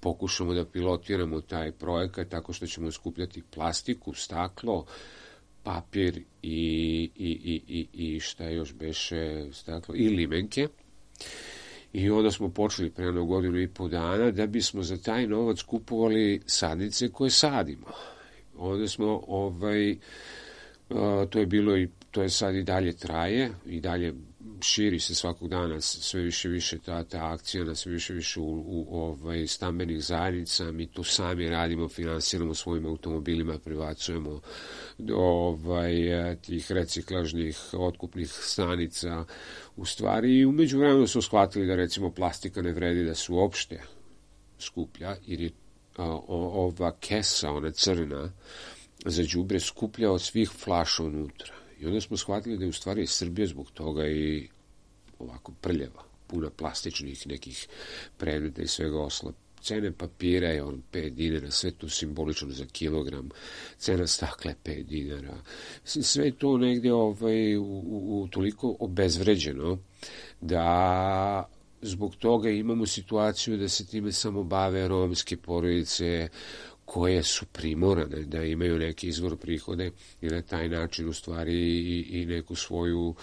pokušamo da pilotiramo taj projekat tako što ćemo skupljati plastiku, staklo, papir i šta još beše staklo, i limenke. I onda smo počeli pre jedno godinu i po dana da bismo za taj novac kupovali sadnice koje sadimo. Onda smo, to je bilo i to je sad i dalje traje, i dalje širi se svakog dana sve više ta akcija na sve više u stambenih zajednica. Mi to sami radimo, finansiramo svojim automobilima, privacujemo tih reciklažnih otkupnih stanica. U stvari, i umeđu vremenu su shvatili da recimo plastika ne vredi da se uopšte skuplja, jer je ova kesa, ona crna, za đubre skuplja od svih flaša unutra. I onda smo shvatili da je u stvari Srbija zbog toga i ovako prljava, puna plastičnih nekih predmeta i svega osla. Cene papira je 5 dinara, sve to simbolično za kilogram, cena stakla je 5 dinara. Sve to negde toliko obezvređeno da zbog toga imamo situaciju da se time samo bave romske porodice koje su primorane da imaju neki izvor prihode i na taj način u stvari i neku svoju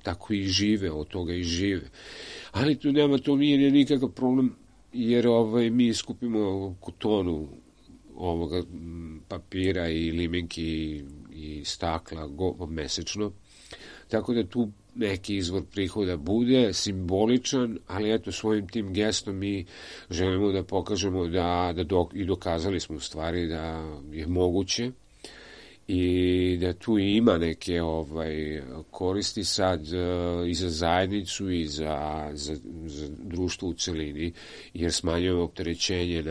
tako i žive, od toga i žive. Ali to nije nikakav problem, jer mi skupimo tonu ovoga papira i limenki i stakla mesečno, tako da tu neki izvor prihoda bude simboličan, ali eto svojim tim gestom mi želimo da pokažemo i dokazali smo u stvari da je moguće i da tu ima neke koristi sad i za zajednicu i za društvo u celini, jer smanjujemo opterećenje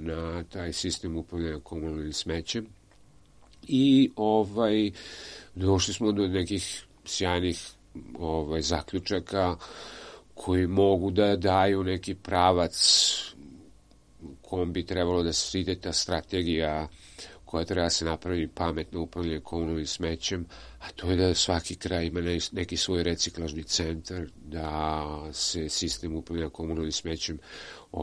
na taj sistem upravljanja komunalnim smećem i došli smo do nekih sjajnih zaključaka koji mogu da daju neki pravac kom bi trebalo da se ide ta strategija koja treba se napraviti pametno upravljanje komunalnim smećem, a to je da svaki kraj ima neki svoj reciklažni centar, da se sistem upravljanja komunalnim smećem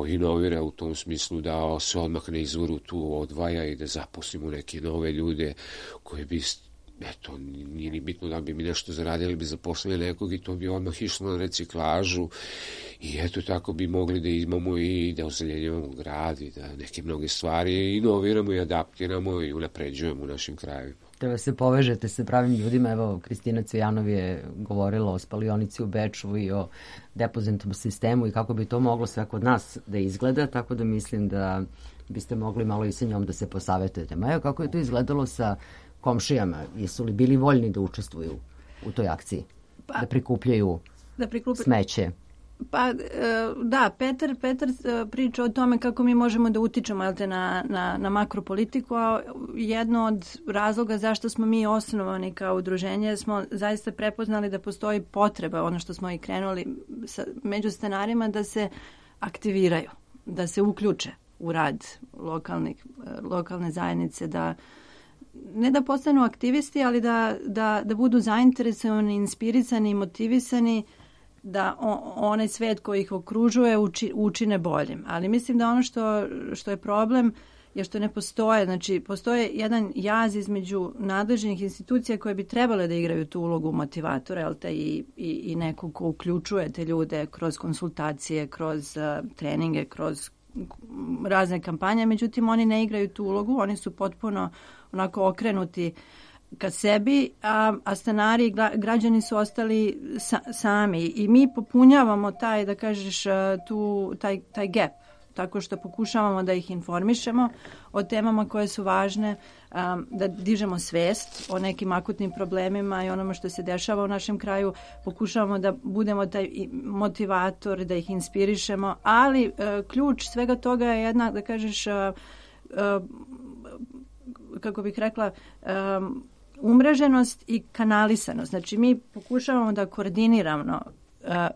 inovira u tom smislu da se odmah na izvoru tu odvaja i da zaposlimo neke nove ljude koji bi nije ni bitno da bi mi nešto zaradili, bi zaposlili nekog i to bi odmah išlo na reciklažu i tako bi mogli da imamo i da ozeljenjujemo grad i da neke mnoge stvari inoviramo i adaptiramo i unapređujemo u našim krajevima. Treba se povežete sa pravim ljudima. Evo, Kristina Cvijanov je govorila o spalionici u Beču i o depozitnom sistemu i kako bi to moglo sve kod nas da izgleda, tako da mislim da biste mogli malo i sa njom da se posavetujete. Maja, kako je to izgledalo sa komšijama? Jesu li bili voljni da učestvuju u toj akciji? Da prikupljaju smeće? Pa da, Petar priča o tome kako mi možemo da utičemo na makropolitiku, a jedno od razloga zašto smo mi osnovani kao udruženje smo zaista prepoznali da postoji potreba, ono što smo i krenuli među stanarima, da se aktiviraju, da se uključe u rad lokalne zajednice, da ne da postanu aktivisti, ali da budu zainteresovani, inspirisani i motivisani da onaj svet koji ih okružuje učine boljim. Ali mislim da ono što je problem je što ne postoje. Znači, postoje jedan jaz između nadležnih institucija koje bi trebale da igraju tu ulogu motivatora, jel te, i nekog ko uključuje te ljude kroz konsultacije, kroz treninge, kroz razne kampanje. Međutim, oni ne igraju tu ulogu, oni su potpuno onako okrenuti ka sebi, a stanari i građani su ostali sami. I mi popunjavamo taj, da kažeš, taj gap, tako što pokušavamo da ih informišemo o temama koje su važne, da dižemo svest o nekim akutnim problemima i onome što se dešava u našem kraju. Pokušavamo da budemo taj motivator, da ih inspirišemo, ali ključ svega toga je jedna, da kažeš, kako bih rekla, umreženost i kanalisanost. Znači, mi pokušavamo da koordinirano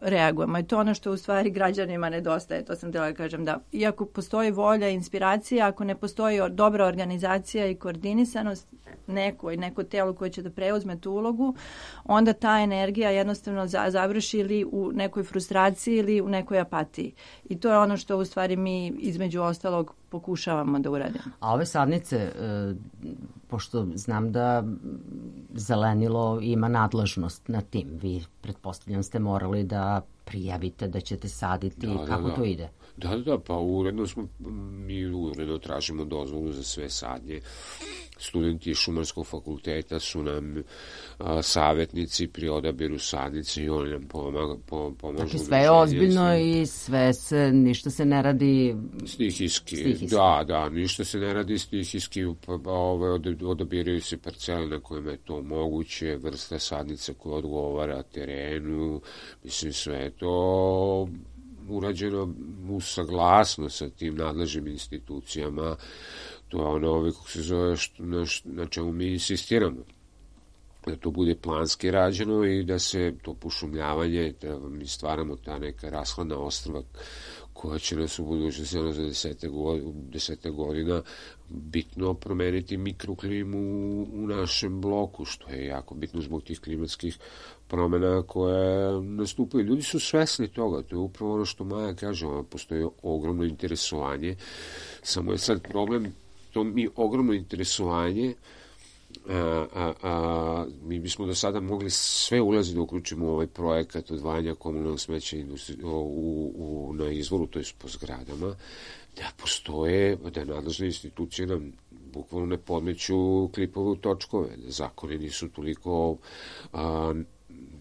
reagujemo. I to je ono što u stvari građanima nedostaje. To sam htjela da kažem, da iako postoji volja i inspiracija, ako ne postoji dobra organizacija i koordinisanost, neko telo koje će da preuzme tu ulogu, onda ta energija jednostavno završi ili u nekoj frustraciji ili u nekoj apatiji. I to je ono što u stvari mi između ostalog pokušavamo da uradimo. A ove sadnice, pošto znam da Zelenilo ima nadležnost na tim, vi pretpostavljam ste morali da prijavite da ćete saditi, kako to ide? Da, pa mi uredno tražimo dozvolu za sve sadnje. Studenti Šumarskog fakulteta su nam savjetnici pri odabiru sadnice i oni nam pomažu. Znači sve je ozbiljno i ništa se ne radi stihijski. Da, ništa se ne radi stihijski, odabiraju se parcele na kojima je to moguće, vrsta sadnica koja odgovara terenu, mislim sve je to urađeno u saglasno sa tim nadležnim institucijama. To je ono kako se zove na čemu mi insistiramo. Da to bude planski rađeno i da se to pošumljavanje, da mi stvaramo ta neka rashladna ostrva koja će nas u budućnosti za 10 godina bitno promeniti mikroklimu u našem bloku, što je jako bitno zbog tih klimatskih promjena koje nastupaju. Ljudi su svesni toga, to je upravo ono što Maja kaže, postoji ogromno interesovanje, samo je sad problem, to mi ogromno interesovanje, mi bismo do sada mogli sve ulazi da uključimo u ovaj projekat odvajanja komunalnog smeća na izvoru, to je po zgradama, da postoje, da nadležne institucije nam bukvalno ne podmeću klipove u točkove, da zakoni nisu toliko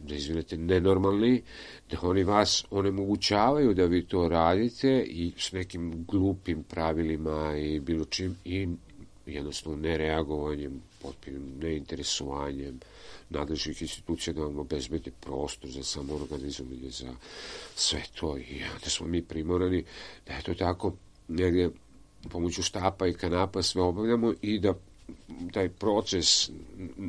da izvinete, nenormalni, da oni vas onemogućavaju da vi to radite i s nekim glupim pravilima i bilo čim i jednostavno nereagovanjem, potpunim neinteresovanjem nadležnih institucija da vam obezbede prostor za samoorganizovanje, za sve to. I onda smo mi primorani da je to tako negdje pomoću štapa i kanapa sve obavljamo i da taj proces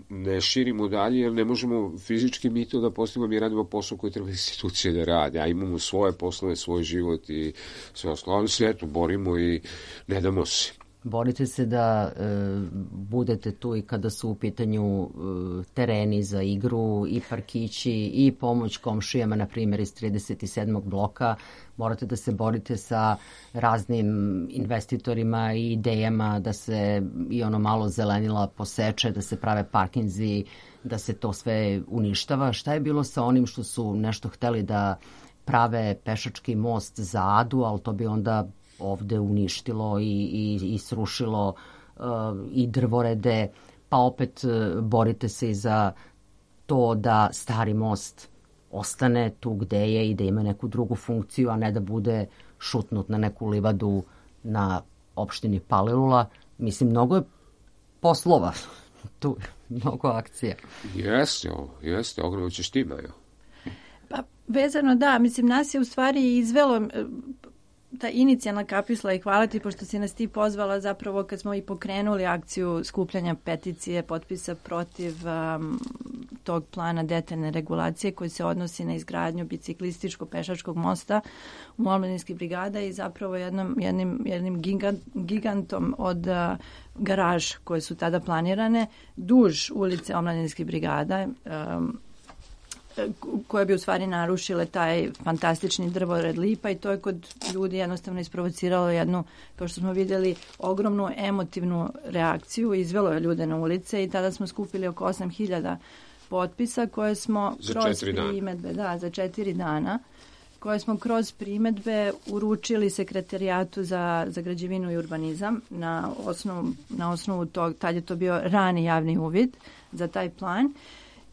ne širimo dalje, jer ne možemo fizički mi to da postavimo, mi radimo posao koji treba institucije da rade, a imamo svoje poslove, svoj život i sve ostalo, sve to borimo i ne damo se. Borite se da budete tu i kada su u pitanju tereni za igru i parkići i pomoć komšijama, na primjer iz 37. bloka. Morate da se borite sa raznim investitorima i idejama da se i ono malo zelenila poseče, da se prave parkinzi, da se to sve uništava. Šta je bilo sa onim što su nešto hteli da prave pešački most za Adu, ali to bi onda ovde uništilo i srušilo i drvorede, pa opet borite se i za to da Stari most ostane tu gde je i da ima neku drugu funkciju, a ne da bude šutnut na neku livadu na opštini Palilula. Mislim, mnogo je poslova tu, mnogo akcija. Jeste, ogromno će štima, jo. Pa, vezano da, mislim, nas je u stvari izvelo ta inicijalna kapisla i hvala ti pošto si nas ti pozvala zapravo kad smo i pokrenuli akciju skupljanja peticije, potpisa protiv tog plana detaljne regulacije koji se odnosi na izgradnju biciklističko-pešačkog mosta u Omladinskih brigada i zapravo jednim gigantom od garaž koje su tada planirane duž ulice Omladinskih brigada, koje bi u stvari narušile taj fantastični drvored lipa i to je kod ljudi jednostavno isprovociralo jednu, kao što smo vidjeli, ogromnu emotivnu reakciju, izvelo je ljude na ulice i tada smo skupili oko 8.000 potpisa koje smo kroz primedbe, za 4 dana, koje smo kroz primedbe uručili sekretarijatu za građevinu i urbanizam na osnovu tog, tad je to bio rani javni uvid za taj plan.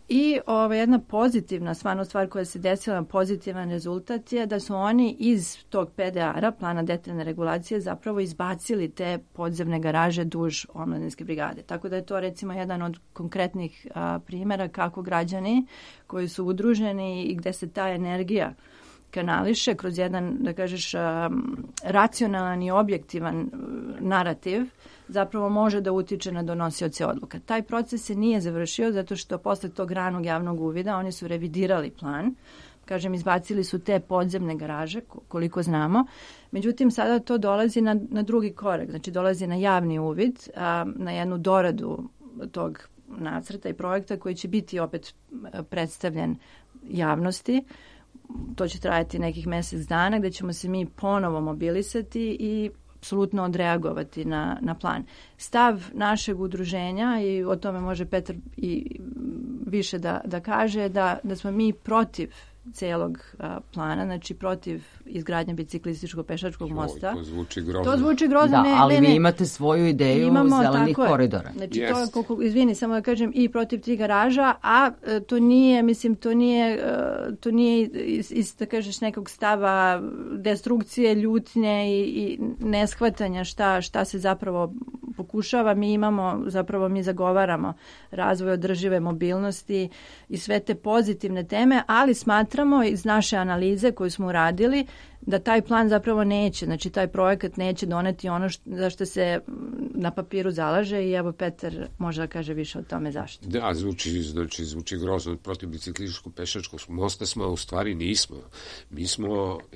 I jedna pozitivna stvar koja se desila, pozitivan rezultat je da su oni iz tog PDR-a, plana detaljne regulacije, zapravo izbacili te podzemne garaže duž Omladinske brigade. Tako da je to recimo jedan od konkretnih primjera kako građani koji su udruženi i gde se ta energija kanališe kroz jedan, da kažeš, racionalan i objektivan narativ, zapravo može da utiče na donosioce odluka. Taj proces se nije završio zato što posle tog ranog javnog uvida oni su revidirali plan. Kažem, izbacili su te podzemne garaže, koliko znamo. Međutim, sada to dolazi na drugi korak. Znači, dolazi na javni uvid, na jednu doradu tog nacrta i projekta koji će biti opet predstavljen javnosti. To će trajati nekih mjesec dana gdje ćemo se mi ponovo mobilisati i apsolutno odreagovati na plan. Stav našeg udruženja, i o tome može Petar i više da kaže, da smo mi protiv celog plana, znači protiv izgradnje biciklističko-pešačkog mosta. To zvuči grozno. To zvuči grozno, ali vi imate svoju ideju zelenih koridora. Znači izvini, samo da kažem, i protiv tih garaža, a to nije, mislim, to nije iz da kažeš nekog stava destrukcije, ljutnje i neshvatanja šta se zapravo pokušava. Mi zagovaramo razvoj održive mobilnosti i sve te pozitivne teme, ali smatramo iz naše analize koju smo uradili da taj plan zapravo neće, znači taj projekat neće doneti ono za što se na papiru zalaže i evo Petar može da kaže više o tome zašto. Da, zvuči grozno. Protiv biciklističko-pešačkog mosta smo, a u stvari nismo.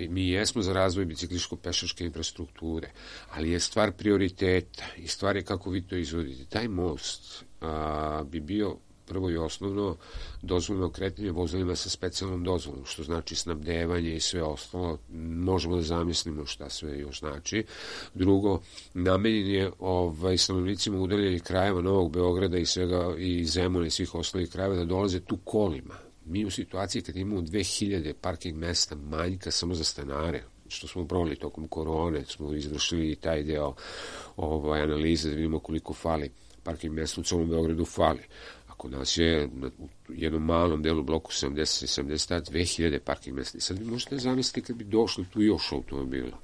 Mi jesmo za razvoj biciklističko-pešačke infrastrukture, ali je stvar prioriteta i stvar je kako vi to izvodite. Taj most bi bio prvo i osnovno dozvoljeno kretanje vozilima sa specijalnom dozvolom, što znači snabdevanje i sve ostalo. Možemo da zamislimo šta sve još znači. Drugo, namenjen je stanovnicima udaljenih krajeva Novog Beograda i svega i Zemuna i svih ostalih krajeva da dolaze tu kolima. Mi u situaciji kad imamo 2000 parking mesta manjka samo za stanare, što smo provali tokom korone, smo izvršili i taj deo analize da vidimo koliko fali parking mesta u celom Beogradu fali. Kod nas je u jednom malom delu bloku 70 2000 parking mesta. I sad vi možete zamisliti kad bi došlo tu još automobila.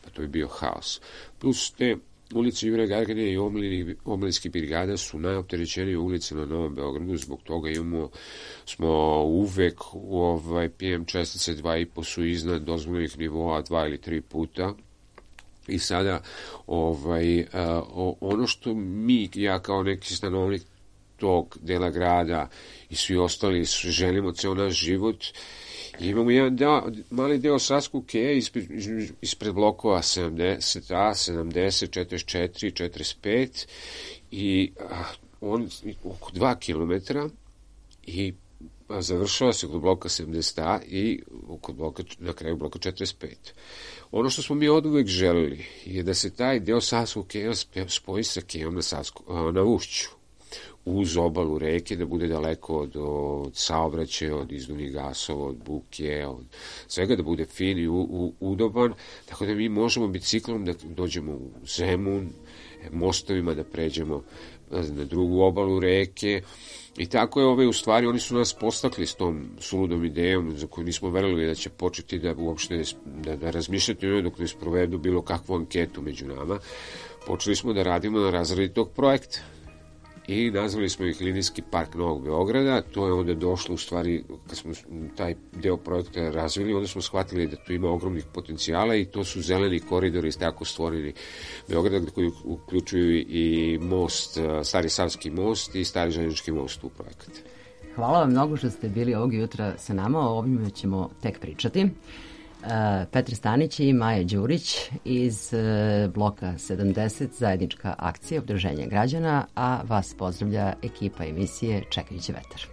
Pa to bi bio haos. Plus te ulice Jure Gagarin i Omladinskih brigada su najopterećenije ulice na Novom Beogradu. Zbog toga smo uvek u PM čestice 2,5 su iznad dozvoljenih nivoa 2 ili 3 puta. I sada ono što ja kao neki stanovnik tog dela grada i svi ostali želimo ceo naš život. I imamo jedan mali deo Savskog keja ispred blokova 70A, 70, 44, 45 i on oko 2 kilometra i završava se kod bloka 70A i na kraju bloka 45. Ono što smo mi oduvek želeli je da se taj deo Savskog keja spoji sa kejom na Ušću, uz obalu reke, da bude daleko od saobraćaja, od izduvnih gasova, od buke, od svega, da bude fin i udoban, tako da mi možemo biciklom da dođemo u Zemun, mostovima da pređemo na drugu obalu reke. I tako je, u stvari, oni su nas postakli s tom suludom idejom za koju nismo verovali da će početi da uopšte da razmišljati o njoj dok ne sprovedu bilo kakvu anketu među nama. Počeli smo da radimo na razradi tog projekta. I nazvali smo ih Linijski park Novog Beograda. To je onda došlo, u stvari, kad smo taj deo projekta razvili, onda smo shvatili da tu ima ogromnih potencijala i to su zeleni koridori tako stvoreni Beograda, koji uključuju i most, Stari Savski most i Stari Željeznički most u projekat. Hvala vam mnogo što ste bili ovog jutra sa nama, o ovim ćemo tek pričati. Petar Stanić i Maja Đurić iz bloka 70, zajednička akcija Udruženja građana, a vas pozdravlja ekipa emisije Čekajući vetar.